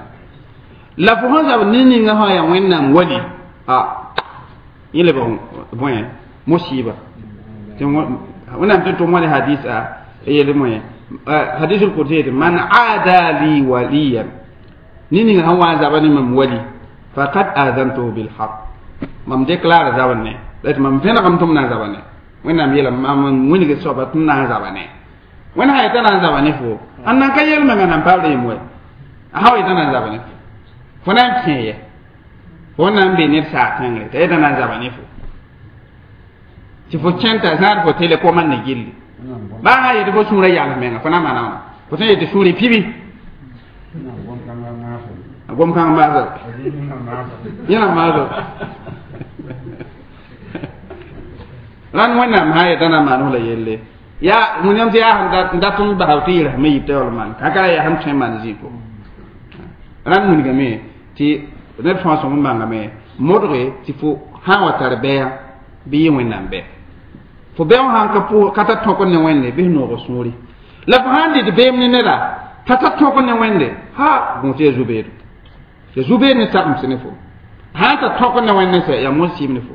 la fo sãn zabd ne-ninga sã yaa wẽnnaam wali a yẽ lebg bõe musiba wẽnnaam tɩ tʋm wã ne hadisa yel moye hadisul qudsi yetɩ man aada li waliyan ne-ninga sãn wa n zaba ne mam wali faqad azantuhu bilhaq mam déclare zabr ne la tɩ mam vẽnegame tɩ m na n zaba ne wẽnnaam yeelame mam wilg soaba tɩ m na n zaba ne wẽnd sã yetã na n zaba ne fo ãn nan ka yel-mengã nan paam reem wɛ a sã wa yetã na n zaba ne fo fo na n kẽ yɛ fo na n be ned saag tẽngre t'a yetã na n zaba ne fo tɩ fo kẽn t'a zãad fo tele koman ne gilli baa sã yetɩ fo sũurã yals menga fo na n maana wãna fo sẽn yetɩ sũurẽ pibi gom kãng maasa yẽna maasa rãnd wẽnnaam sã yetã na n maan la yelle yaa wẽnnaam tɩ yaa sẽn dat n basa tɩ yɩlsme yib t'a yaool maan ka yaa sẽn tõe n maan zĩ pʋgẽ rãnd wilgame tɩ ned fãa sõm n bãngame modge tɩ fo sã n wa tar bɛɛ bɩ yɩ wẽnnaam bɛɛ fo bɛɛ wã sãn ka pʋ ka ta tõk ne wẽnde bɩ f noog sũuri la fo sãn dɩt beem ne neda t'a ta tõk ne wẽnde ha gũus ya zu-beedo ya zu-beed ne sagemse ne fo sãn ta tõk ne wẽnd ne sɛ yaa mosɩɩm ne fo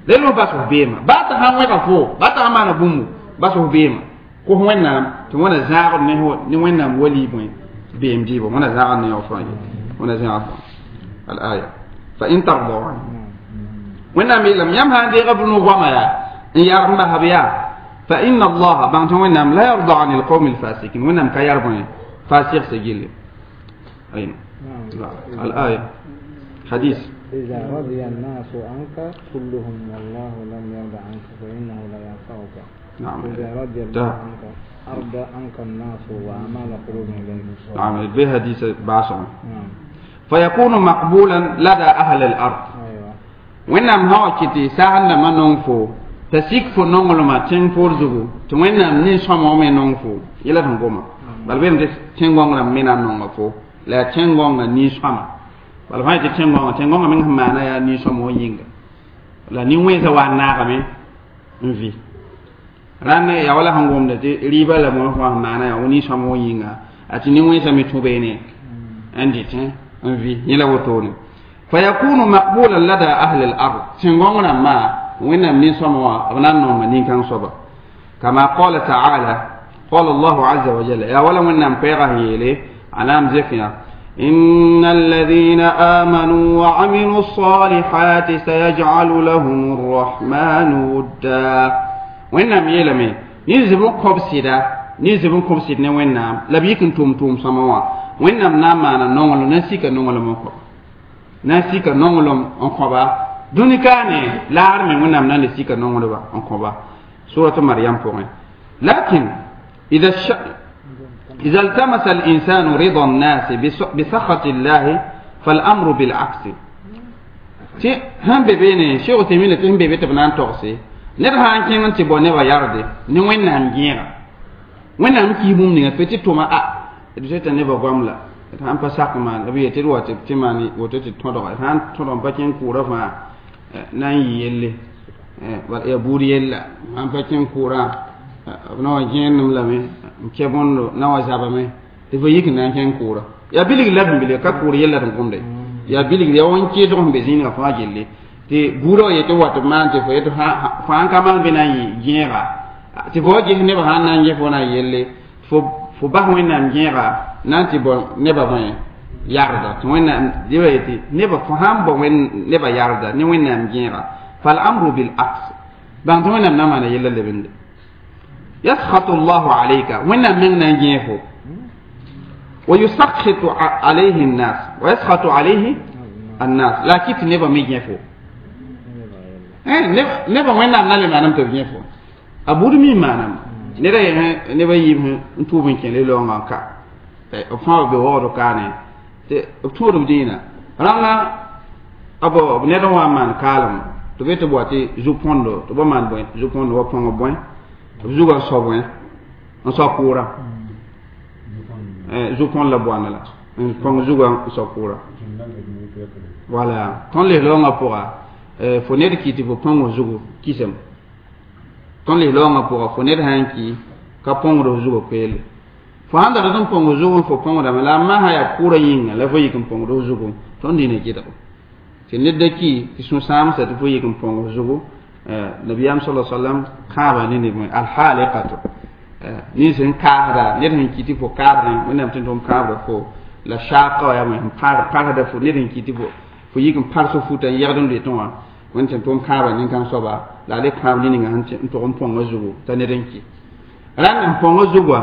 Lelo bas fo beema ba ta han wẽga fo ba ta maana bũmbu bas fo beema kos Wẽnnaam tɩ wẽna zãagd ne ne Wẽnnaam wali bõe beem dɩɩbo wẽna zãagd ne fãa ye wẽna zãag fo al-aya fa in tardaw Wẽnnaam yeelame yãmb sã n deega b no-goama yaa n yarg n basb yaa fa inna allaha bãng tɩ Wẽnnaam la yarda an alqawmi alfasikin Wẽnnaam ka yar bõe fasɩgse gilli al-aya hadis. إذا رضي الناس عنك كلهم والله لم يرضى عنك فإنه لا ينفعك. نعم. إذا رضي الله عنك أرضى عنك الناس وأمال قلوبهم إليك. نعم به حديث باسم. نعم. فيكون مقبولا لدى أهل الأرض. أيوة. وإنما هو كتي سهل ما نونفو تسيك فو نونغلما تين فورزغو توينام نين سوما مي نونفو يلا تنغوما بل بين تين غونغ مينا نونغفو لا تين غونغ نين سوما bala fãa tɩ tẽn-gõngã meng sẽn maana yaa nin-sõm wã yĩnga la nin-wẽnsã wa n naagame n vɩ rãnd yaa wala sẽn gomda tɩ rɩɩbã la bõe fãa sẽn maana yaa nin-sõm wã yĩnga a tɩ nin-wẽnsã me tũ beene n dɩtẽ n vɩ yẽ la wotone fa yakunu maqbulan lada ahli al-ard tẽn-gõng rãmbã Wẽnnaam nin-sõm wã b na n nonga nin-kãng soaba kama qala taala qala Allahu azza wa jalla yaa wala Wẽnnaam pɛɛga sẽn yeele a na n zek yã إن الذين آمنوا وعملوا الصالحات سيجعل لهم الرحمن ودا وإنهم يلمي نزبون قبسيدا نزبون قبسيد وإنهم لبيكن توم توم سموا وإنهم ناما نونغلو نسيك نونغلو مكو نسيك نونغلو انقبا دونيكاني لارمي وإنهم نسيك نونغلو انقبا سورة مريم فوق. لكن إذا التمس الإنسان رضا الناس بسخط الله فالأمر بالعكس. تي هم بيني شيخ تيمين تي هم بيبي تبنان توكسي نير هان كين تي بو نيبا ياردي ني وين نام جيرا وين نام كي بوم ني بيتي توما ا دي نيبا غوم لا هان با ساك مان ابي تي رو تي ماني woto tɩ tõdga sã n tõdg n pa kẽn kʋʋrã fãa na n yɩ yelle ya buud yella sãn pa kẽn kʋʋrã b na wa gẽenem lame n kɛ bõndo na wa zabame tɩ fo yik n na n kẽng kʋʋra yaa bilgr la bĩmbil ka kʋʋr yella tɩ n gomde yaa bilgr yaa wãn-keesg sẽn be zĩnigã fãa gelle tɩ buudã wa yetɩ wa tɩ b maan tɩ fo yetɩ fãa n ka maan bɩ na n yɩ gẽega tɩ fo wa ges nebã sãn na n ges fo na n yelle fo bas Wẽnnaam gẽega na n tɩ bõ nebã bõe yarda tɩ Wẽnnaam dɩba yetɩ nebã fo sãn bõ nebã yarda ne Wẽnnaam gẽega fal amru bil aks bãng tɩ Wẽnnaam na maana yella lebende يسخط الله عليك وين من نجيفه ويسخط عليه الناس ويسخط عليه الناس لا كيت نبا ميجيفو نبا وين نعمل ما نم تبيفو أبود مي ما نم نرى نبا يم نتوبين كين لون كا أفهم بيوارو كانه تورم دينا رانا أبو نرى وان كالم تبي تبواتي زوپوندو تبا مان بوين زوپوندو وپونgo بوين zuga soboẽ n sao kʋʋra zu-põn la boana la n põng zugã n sao kʋʋra wala tõnd lis-raoongã pʋga fo ned ki tɩ fo põng zugu kisem tõnd lis-raoongã pʋga fo ned sã n ki ka põngd f zugã koeele fo sãn dat n põng zugu fo põngdame la a masã yaa kʋʋrã yĩnga la fo yik n põngd f zugu tõnd dĩnã gɩdgo tɩ ned da ki tɩ sũ-sãamsa tɩ fo yik n põng f zugu nabiyam sallallahu alaihi wasallam kaaba ne ne alhaliqatu ni sen kaada ne den kiti fo kaada ne nam tin tom kaaba fo la shaqa ya mo par par da fo ne den kiti fo fo yikin par so futa yagdon le ton won tin tom kaaba nin kan soba la le kaaba ni nga han to on pongo zugo ta ne den ki ran pongo zugo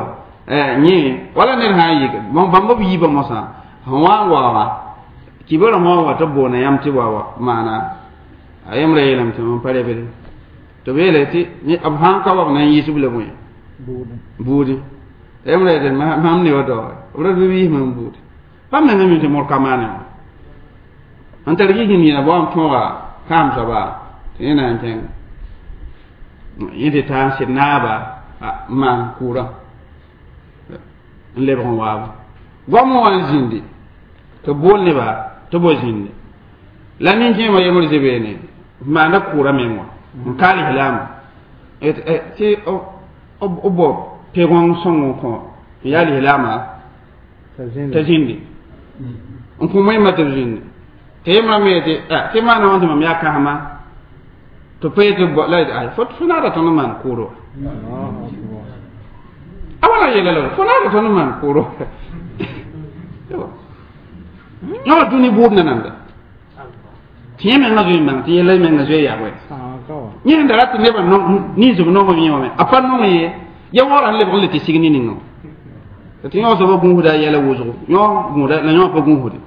ni wala ne ha yik bon bambo bi ba mo sa wa wa kibara mo wa to bona yam ti wa wa mana ayam re yelam tɩ mam pa rebd tɩ b yeele tɩ b sãn ka wa b na n yiisb la bõe buudi ayam re yetɩ mam ne wa daoore b ra b yiis mam buudi bãmb menga mi tɩ mor ka maane wã n tar gis yĩna bao n tõoga kaam soaba tɩ yẽ na n kẽng yẽ tɩ taa n sɩd naaba n maan kʋʋrã n lebg n waaba goam wã n zĩndi tɩ b bool neba tɩ bo zĩndi la nin-kẽemã yembr zebeene maanda kʋʋra meng wã n ka lislaam tɩ b bao pe-gõng sõng n kõ n yaa lislaamã t'a zĩndi n kõ moẽmã tɩ b zĩndi tɩ yembrã me tɩ tɩ maana wã tɩ mam yaa kãsema To pa tɩ la ay fo naada tõnd n maan kʋʋdo a wala yeela la fo naada tõnd n maan kʋʋdo yõ dũni bʋʋd nananda tɩ yẽ menga zoe n bãng tɩ yella menga zoe yaa bõe yẽ sẽn da rat tɩ nebã ninsb nongem yẽ wã me a pa nong ye ya waoora n lebg n le tɩ sig ne ninga tɩ yõ soaba gũusda a yɛla wʋsgo yõ gũuda la yõ pa gũusde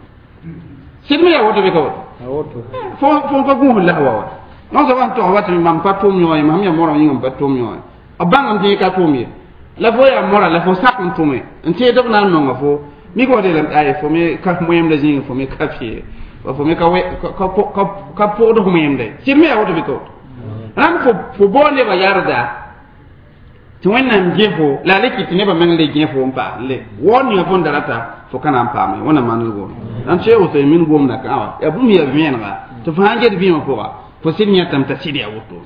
sɩd me yaa woto bɩ ka woto fo pa gũusd la wa wa yõ soaba sẽn tog wa tɩ mam pa tʋʋm yõ ye mam yaa morã yĩnga m pa tʋʋm yõ ye b bãngame tɩ yẽ ka tʋʋm ye la fo yaa mora la fo sak n tʋme n tẽed b na n nonga fo mik wa yeelame ay fo me ka moẽmda zĩigẽ fo me ka fɩe fo me ka pʋgd f moẽmda sɩd me yaa woto bɩ ka woto rãmb fo bao nebã yarda tɩ wẽnnaam gẽ fo la a le kɩ tɩ nebã meng le gẽ fo n paas le waoor ninga fõn da rata fo ka na n paame wẽnnaam maand goom rãmb sẽn Useymin gomda kã wã yaa bũmb yaa vẽenega tɩ fo sãn get vĩimã pʋga fo sɩd yẽtame t'a sɩd yaa woto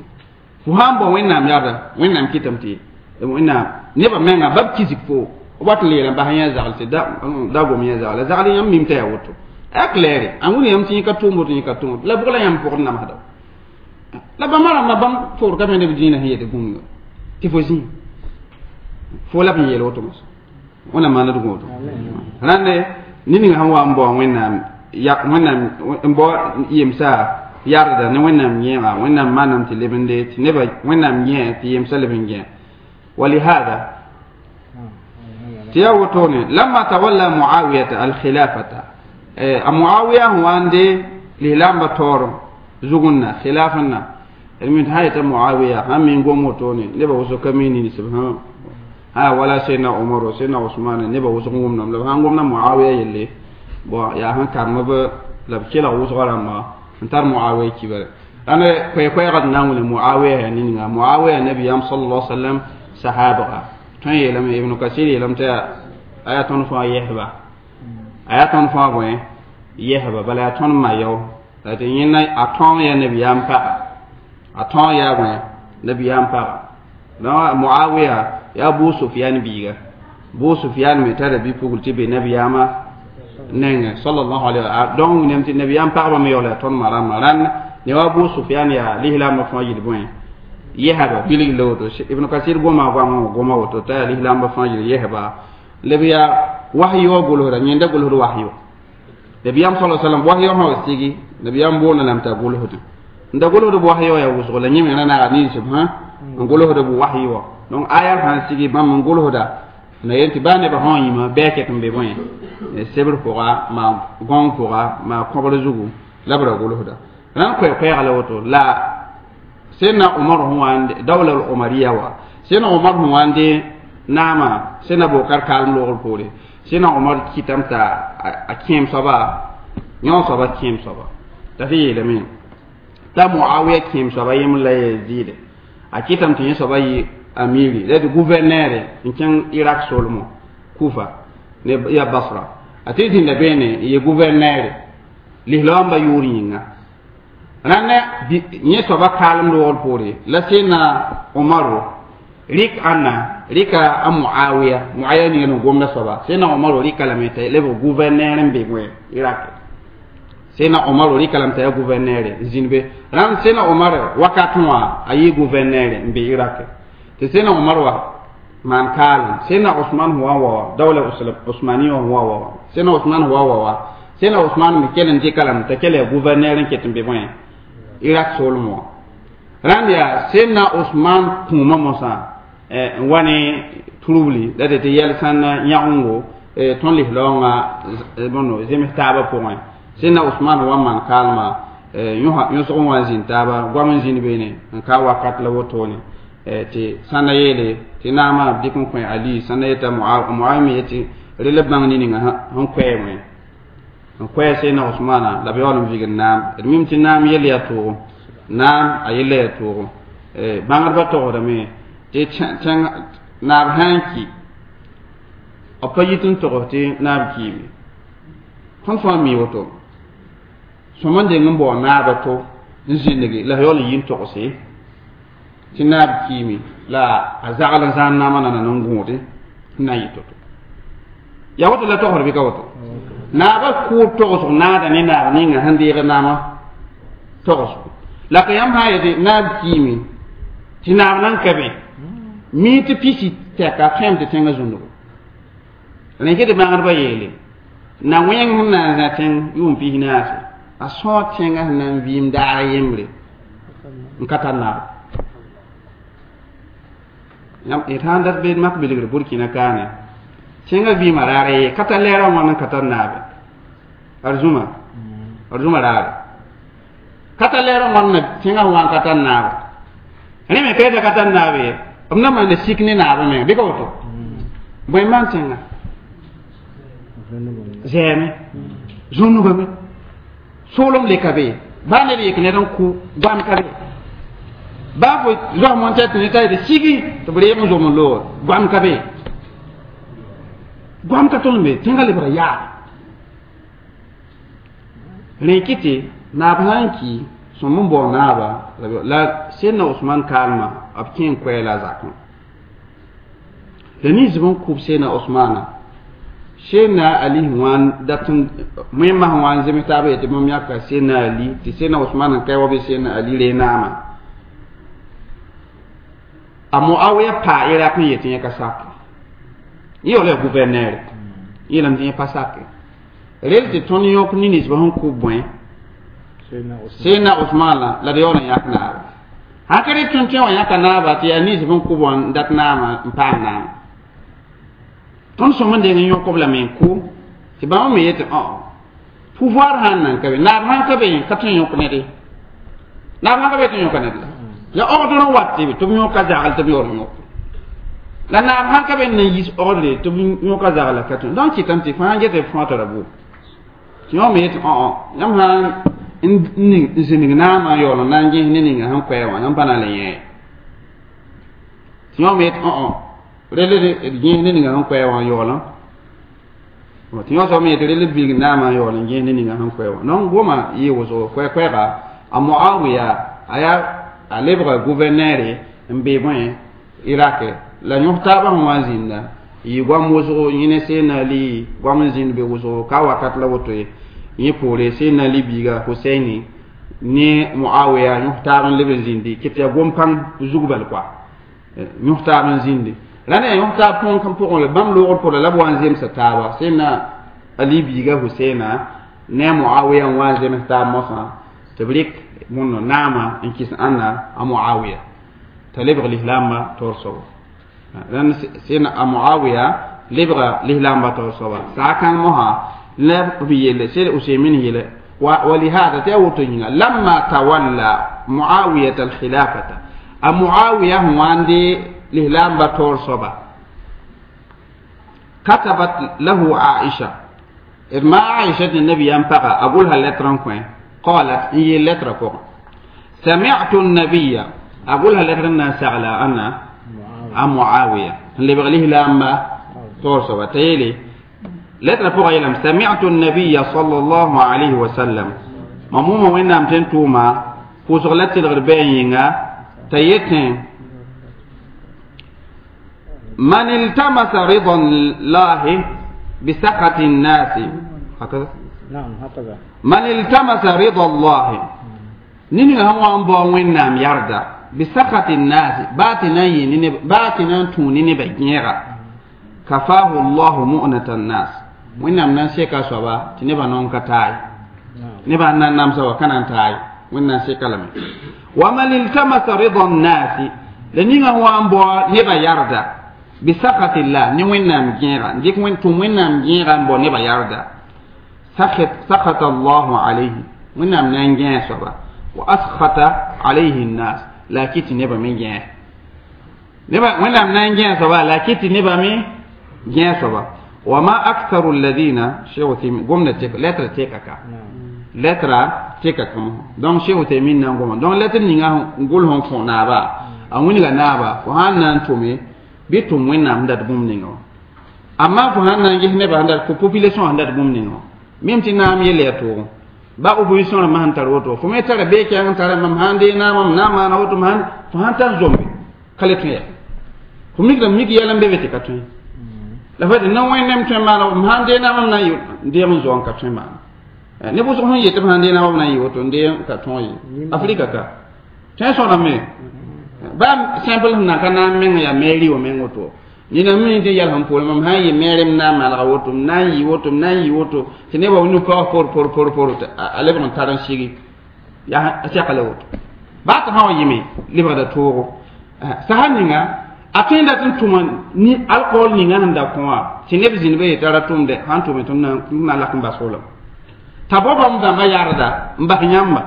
fo sãn bao wẽnnaam yarda wẽnnaam kɩtame tɩ wẽnnaam nebã menga bab kisg fo wat n leelame bas yẽ zagl tɩ da gom yẽ zagl zagl yãmb mim t'a yaa woto a claire a wʋn yãmb tɩ yẽ ka tʋʋm woto yẽ ka tʋʋm la bʋg la yãmb pʋgd namsda la bãmba rãmbã bãmb fogd ka me neb dĩinã sẽn yet bũmb tɩ fo zĩ fo la b yeel woto mos wẽnnaam maand d gũudo rãnde ned ninga sẽn wa n bao wẽnnaam wẽnnaam n bao yemsa yarda ne wẽnnaam yẽega wẽnnaam maanam tɩ leb n le tɩ nebã wẽnnaam yẽ tɩ yemsa leb n gẽ ولهذا تياوتوني لما تولى معاوية الخلافة معاوية هو عندي لهلام بطور زغنا خلافنا المن هاي معاوية هم من قوموتوني نبا وسو كميني سبحان ها ولا سيدنا عمر وسيدنا عثمان نبا وسو قومنا لو هان قومنا معاوية يلي بو يا هان كان ما لبكيلا وسو غرام انتر معاوية كبر أنا كوي كوي قد نقول معاوية يعني معاوية النبي صلى الله عليه وسلم صحابة tõe yeelame Ibn Kasir yeelame tɩ a yaa tõnd fãa yɛsba a yaa tõnd fãa bõe yɛsba bala yaa tõnd ma yao la tɩ yẽnda a tõog yaa nabiyaam paga a tõog yaa bõe nabiyaam paga donc Muawiya yaa Abu Sufyan biiga Abu Sufyan me tara bi-pugl tɩ be nabiyaamã nengẽ sallallahu alayhi wa sallam donc wĩnam tɩ nabiyaam pagba me yaool yaa tõnd ma rãmbã rãnd ne wa Abu Sufyan yaa lislaambã fãa yel bõe yɛsba bilg la woto Ibn Kasir goma goamã goma woto t'a yaa lislaambã fãa yel yɛsba lb yaa wahyi wã gʋlsda yẽnda gʋlsd wahyi wa nabiyaam sala sallam wahyi wã sã wa sigi nabiyaam boonda lame t'a gʋlsd n da gʋlsd b wahyi wã yaa wʋsgo la yẽ me ra naaga ninsb hã n gʋlsd b wahyi wã donc aya sãn sigi bãmb n gʋlsda na yel tɩ baa nebã sã n yĩma bɩ a ket n be bõe sebr pʋga maa gõng pʋga maa kõbr zugu la b ra gʋlsda rãn koɛɛ-koɛɛga la woto la سيدنا عمر هو عند دولة العمرية وا سيدنا عمر هو عند ناما سيدنا بكر كالم لوغ بوري سيدنا عمر كيتام تا أكيم صبا يوم صبا كيم صبا تفي لمن تا معاوية كيم صبا يم لا يزيد أكيتام تين صبا ي أميري لا gouverneur إن كان العراق سولمو كوفة يا بصرة أتيتين لبيني ي gouverneur لهلام بيورينا rãnda yẽ soaba kaalem loogr poore la sẽna Umaru rɩk ãnna rɩka a Muawiya Muawiya ninga n gomda soaba sẽna Umaru rɩka lame t'a lebg gouverneur n be bõe Irak sẽna Umaru rɩka lame t'a yaa gouverneur n zĩnd be rãnd sẽna Umar wakat wã a yɩ gouverneur n be Irak tɩ sẽna Umar wa maan kaalem sẽna Usman wa wa dawla Usmaniya wa wa sẽna Usman wa wa sẽna Usman me kell n dɩka lame t'a kell yaa gouverneur n ket n be bõe Irak soolem wã rãnd yaa sẽnna Usman kũumã mosã n wa ne trubli la tɩ yɛl sãn yãgengo tõnd lislaoongã bõndo zems taabã pʋgẽ sẽnna Usman wa n maan kaalmã yõsg n wa n zĩnd taaba goam n zĩnd beene n ka wakat la wotone tɩ sãnda yeele tɩ naamã b dɩk n kõ Ali sãnda yeta Muawiya me yetɩ rel b bãng ne ninga sẽn koɛɛ wẽ n koɛɛ sẽnna Usmana la b yaool n vigd naam d mim tɩ naam yell yaa toogo naam a yella yaa toogo bãngdbã togsdame tɩ naab sã n ki b pa yit n togs tɩ naab kiime tõnd fãa mi woto sõma n deng n bao naaba to n zĩndge la yaool n yi n togse tɩ naab kiime la a zagl n zãan naamã nana n gũude n na n yɩ to-to yaa woto la togsd bɩ ka woto naaba kʋʋd togsg naada ne naab ninga sẽn deeg naamã togsgo La ka yãmb sã n yetɩ naab kiime tɩ naab nan ka be mi tɩ pisi tɛka tõem tɩ tẽngã zũnugo rẽ tɩ bãgdbã yeele na wẽng sẽn na n zã tẽng yʋʋm pis naase a sõog tẽngã sẽn na n vɩɩm daar yembre n ka tar naab d sãn dat be mak bilgr Burkina kaane tẽngã vɩɩmã raar ye ka tar lɛɛrã wãn n ka tar naabe arzũma arzũma raare ka tar lɛɛrã wãn na tẽngã wã n ka tar naabe rẽ me ka yeta ka tar naabe ye b na maana sik ne naabã meng bɩ ka woto bõe n maan tẽngã zɛɛme zũnugame soolem le ka be baa ned yek ned n kʋ goam ka be baa fo zoas montɛ tɩ ne t'a yetɩ sigi tɩ b reeg n zom n looge goam ka be goam ka tõnd be tẽngã lebga yaa rẽ kɩ tɩ naab sã n ki sõm n bao naaba la Seydna Osman kaalmã b kẽ n koɛɛla a zakẽ la ninsb n kʋb Seydna Osmana Seydna Ali wã n dat n wẽmã sẽn wa n zems taab yetɩ bãmb yãka Seydna Ali tɩ Seydna Osman n kae wa bɩ Seydna Ali ree naamã a Muawiya paa Irak n yetɩ yẽ ka sake yẽ yaool yaa gouverneur yeelame tɩ yẽ pa sake rel tɩ tõnd yõk ne ninsbã sẽn kʋ bõe Seydna Osman la d yaool n yãk naaba sãn ka rɩ tõnd tẽ wã yãka naaba tɩ yaa ninsb n kʋ wã n dat naamã n paam naamã tõnd sõm n deng n yõk b lame n kʋ tɩ bãmb me yetɩ pouvoir sãn nan ka be naab sãn ka be ka tõe n yõk ned ye naab sãn ka be tɩ yõka ned la la ogdr n wat tɩ b yõka zagl tɩ b yaool n yõk la naab sãn ka be n na n yis ogdre tɩ b yõka zagla ka tõe donc kɩtame tɩ fãa get b fõa tara bo tɩ yõ me yetɩ yãmb sãn n zĩnig naamã n yaool n na n gẽs ne ninga sẽn koɛɛ wã yãmb pa na n le yẽ tɩ yõ me yetɩ rel d gẽes ne ninga sẽn koɛɛ wã n yaoolã tɩ yõ soab me yetɩ rel d bilg naamã n yaool n gẽes ne ninga sẽn koɛɛ wã donc goma yɩ wʋsgo koɛ-koɛɛga a Muawiya a yaa a lebga gouverneur n be bõe Irak la yõs taabã sẽn wa n zĩnda yɩ goam wʋsgo yẽ ne Seydna Ali goam n zĩnd be wʋsgo ka wakat la woto ye yẽ poore Seydna Ali biiga Husaini ne Muawiya yõs taab n leb n zĩndi kɩ tɩ yaa gom-pãng zug bal koa yõs taab n zĩndi la ne yõs taab põn pʋgẽ bãmb loogr pʋgẽ la b wa n zemsa taaba Seydna Ali biiga Husaina ne Muawiya n wa n zems taab mosã tɩ b rɩk wõnno naamã n kɩs ãnna a Muawiya t'a lebg lislaambã taoor soaba rãnd Seydna a Muawiya lebga lislaambã taoor soaba saa kãng mosã la b yelle Seyd Useymin yeele ولهذا تأوتو لما تولى معاوية الخلافة معاوية هو عندي لهلام بطور صبا كتبت له عائشة ما عائشة النبي ينبغى أقولها lettre كوين قالت هي lettre كوين سمعت النبي أقولها lettre نسأل أنا معاوية اللي بغليه لما تور صبا تيلي lettre pʋga yeelame سمعت النبي صلى الله عليه وسلم mam wʋma wẽnnaam tɩ n tʋʋma pʋʋsg la tɩlgd bɩ a yĩnga t'a yetẽ من التمس رضا الله بسخط الناس هكذا نعم هكذا من التمس رضا الله نيني هو ان بو وينام يرضى بسخط الناس باتنا يني باتنا توني ني بجيرا كفاه الله مؤنة الناس وينام نان سيكا سوبا تنبا نون كتاي نبا نان نام سوا كان تاي وينام سيكا لمي ومن التمس رضا الناس لنينغ هو ان بو نبا يرضى بسخط الله ني وينام جيرا ديك وين تو وينام جيرا بو نبا يرضى سخط الله عليه وينام نان جين سوبا وأسخط عليه الناس لا كيتي نبا من جين نبا وينام نان جين سوبا لا كيتي نبا من جين سوبا وما أكثر الذين شيخ تيمين قمنا تيك lettre تيكا lettre تيكا كم donc شيخ تيمين نعم donc lettre نيجا نقول هم فنابا أموني نابا وهان نانتومي بيتوم وين نام دات بوم نيجا أما فهان نانجي نبا عند population عند بوم نيجا même ti naam yel ya tʋʋgẽ ba opposition rãmbã sẽn tar woto fo me tara beekɛng n tara mam sãn dee naamam na n maana woto fo sãn tar zombe ka le tõe ya fo mikdame mik yɛl n be be tɩ ka tõe la fa tɩ na wẽnnaam tõe maana m sãn dee naamam na n deem n zoa n ka tõe maana Ne wʋsg sẽn yet tɩ b sãn dee na b na n yɩ woto n dee ka tõog ye Afrika ka tõe sõdame baa simple sẽn na ka na n meng yaa mɛɛri wã meng woto nina mi tɩ yɛl sẽn poore mam sã n yɩ mɛɛrem na n malga woto m na n yɩ woto m na n yɩ woto tɩ nebã nu paoog por por por por tɩ a lebg n tar n sigi yaa sɛka la woto baa tɩ sã wa yɩme lebgda toogo sasa ninga a tõe n dat n tʋma ni alcool ninga sẽn da kõ wã tɩ neb zĩnd be yetɩ ra tʋmde sãn tʋme tɩ na lak n bas wolame t'a bao bãmb dãmbã yarda n bas yãmba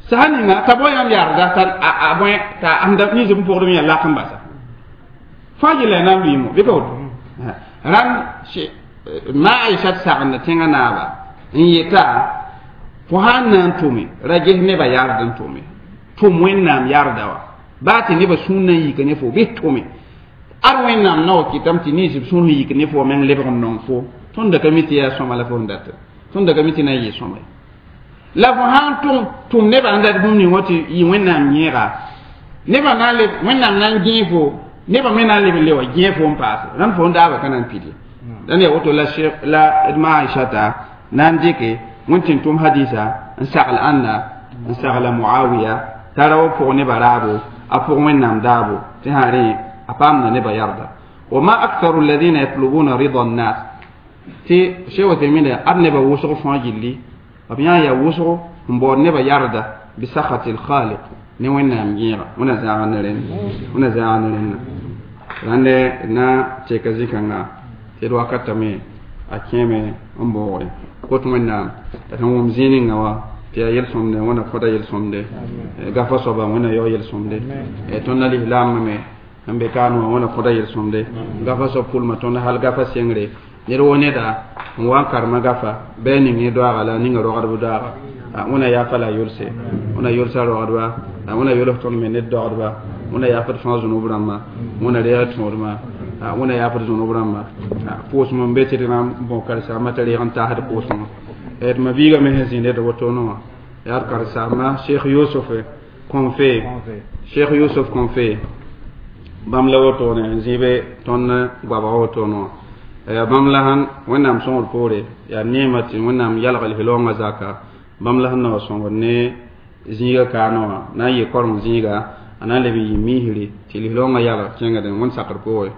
sasa ninga t'a bao yãmb yarda t'a a bõe t'a sẽn da nins b pʋgdem yaa lak n basa fãa yella na n lʋɩɩmo bɩ ka woto rãnd ma Aisha sagenda tẽngã naaba n yeta fo sãn na n tʋme ra ges nebã yard n tʋme tʋm Wẽnnaam yarda wa baa tɩ nebã sũur na n yika ne fo bɩs tʋme ad Wẽnnaam na wa kɩtame tɩ nins b sũur sẽn yik ne fo meng lebg n nong fo tõnd da ka mi tɩ yaa sõma la fo sẽn data tõnd da ka mi tɩ na n yɩ sõma ye la fo sãn tʋm nebã sẽn dat bũmb ning wã tɩ yɩ Wẽnnaam yẽega nebã na n leb Wẽnnaam na n gẽe fo nebã me na n leb n le wa gẽe fo n paase rãnd fo n daaba ka na n pid ye dãn yaa woto la la d ma Aishata na n dɩke wẽn tɩ n tʋm hadisa n sagl ãnna n sagla Muawiya t'a ra wa pʋg nebã raabo a pʋg Wẽnnaam daabo tɩ sã rẽ a paamda nebã yarda wa ma aktharu alladhina yatlubuna rida annas tɩ Cheikh Uthaymin ad nebã wʋsg fãa gilli b yã yaa wʋsgo n baood nebã yarda bisakhati lkhaliq ne Wẽnnaam yẽega wẽna zãag ne rẽnd wẽna zãag ne rẽnda rãnde na teka zĩ-kãnga tɩ d wakatame a kẽeme n baoogre kot Wẽnnaam t'a sẽn wʋm zĩig ninga wã tɩ yaa yel-sõmde wẽna kõta yel-sõmde gafa soaba wẽna yao yel-sõmde tõnd lislaambã me n be kaan wã wẽna kõta yel-sõmde gafa soab pʋlma tõnd hal gafa sengre ned wo neda n wa n karema gafa bɩ a ning ne doaaga la a ninga rogdb doaaga wẽna yaafa la a yolse wẽna yolsa rogdba wẽna yols tõnd me ned dogdba wẽna yaafd fãa zũnub rãmba wẽna reeg tõodma wẽna yaafd zũnub rãmba pʋʋsem n be tɩ d na n bõ karen-saambã t'a reeg n taasd pʋʋsem d ma biigã me sẽn zĩnd d wotone wã yaa d karen-saamba Cheikh Yusuf Konfe Cheikh Yusuf Konfe bãmb la wotone n zĩ be tõnd goabga wotone wã yaa bãmb la sẽn Wẽnnaam sõngr poore yaa neema tɩ Wẽnnaam yalg l zaka bãmb la sẽn na wa sõngr ne zĩiga kaane wã na n yɩ koreng zĩiga a na n leb n yɩ miisre tɩ lislaoongã yalg kẽngd wẽnd sakr poore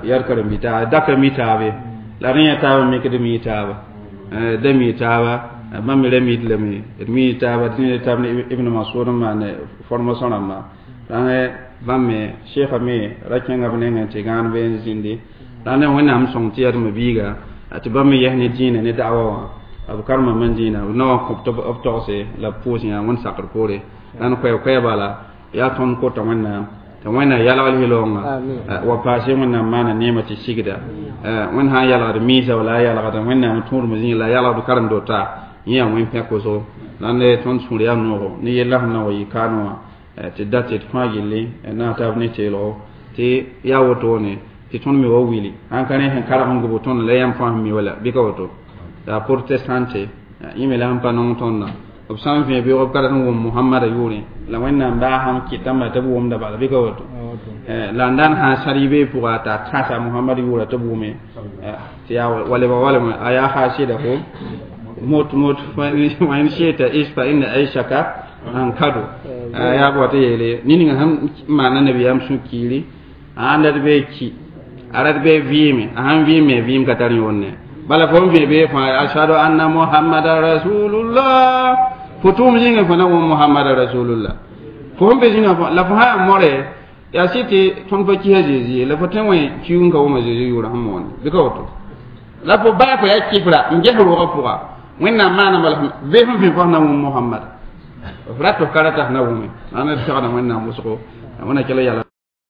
yaa d karen-bi-taaba da ka mi taabe la rẽ yaa taaba mikd mi taaba da mi taaba bãmb me ra mid lame d mi taaba tɩ taab ne Ibn Masud n maan formation rãmba rãng bãmb me sheikha me ra kẽnga b nengẽ tɩ gãan be n zĩndi rãnd Wẽnnaam sõng tɩ yaa d ma biiga tɩ bãmb me yɛs ne dĩinã ne da'wa wã b karema man dĩinã b na wa kõ b togse la b pʋʋs yã wẽnd sakr poore rãnd koɛɛ bala yaa tõnd kota Wẽnnaam tɩ Wẽnnaam yalg lislaoongã wa paase Wẽnnaam maana neema tɩ sigda Wẽnd sã n yalgd miisã wala a yalgda Wẽnnaam tũudm zĩig la a yalgd karem-dota yẽ yaa wẽn pẽk wʋsgo rãnd tõnd sũur yaa noogo ne yella sẽn na wa yɩ kaan wã tɩ dat tɩ d fãa gilli na taab ne teelgo tɩ yaa wotone tɩ tõnd me wa wili sãn ka rẽ sẽn karg n gʋbo tõnd la yãmb fãa sẽn mi wala bɩ ka woto la protestante yẽ me la sẽn pa nong tõndã b sã n vẽ beoog b ka rat n wʋm Mohamada yʋʋrẽ la Wẽnnaam baa sãn kɩtame tɩ b wʋmda bala bɩ ka woto la n daan sã sar yɩ pʋga t'a tãsa Mohamad yʋʋra tɩ b wʋme tɩ yaa waleba walame a yaa hasida ko mot mot wa in shi'ta ish fa inna aishaka an kadu yaa bɔ tɩ yeele nin-ninga sẽn maana nabiyaam sũ-kiiri a ãn rat bee ki a rat bee vɩɩme a sãn vɩɩme vɩɩm ka tar yõonne bala fo n vẽ bee fãa ashhadu anna Muhammada rasulullah fo tʋʋm zĩnga fo na wʋm Muhammada rasulullah fo sẽn be zĩnga fo la fo sã n more yaa sɩ tɩ tõnd pa kisa Zeezi ye la fo tõe wẽ kiug n ka wʋma Zeezi yʋʋra sẽn moonde bɩ ka woto la fo baa fo yaa kifra n ges roogã pʋga Wẽnnaam maana bala bee sẽn vẽ fo na wʋm Muhammad f rat f ka rata f na wʋme ãn d segda Wẽnnaam wʋsgo wẽna kell yala.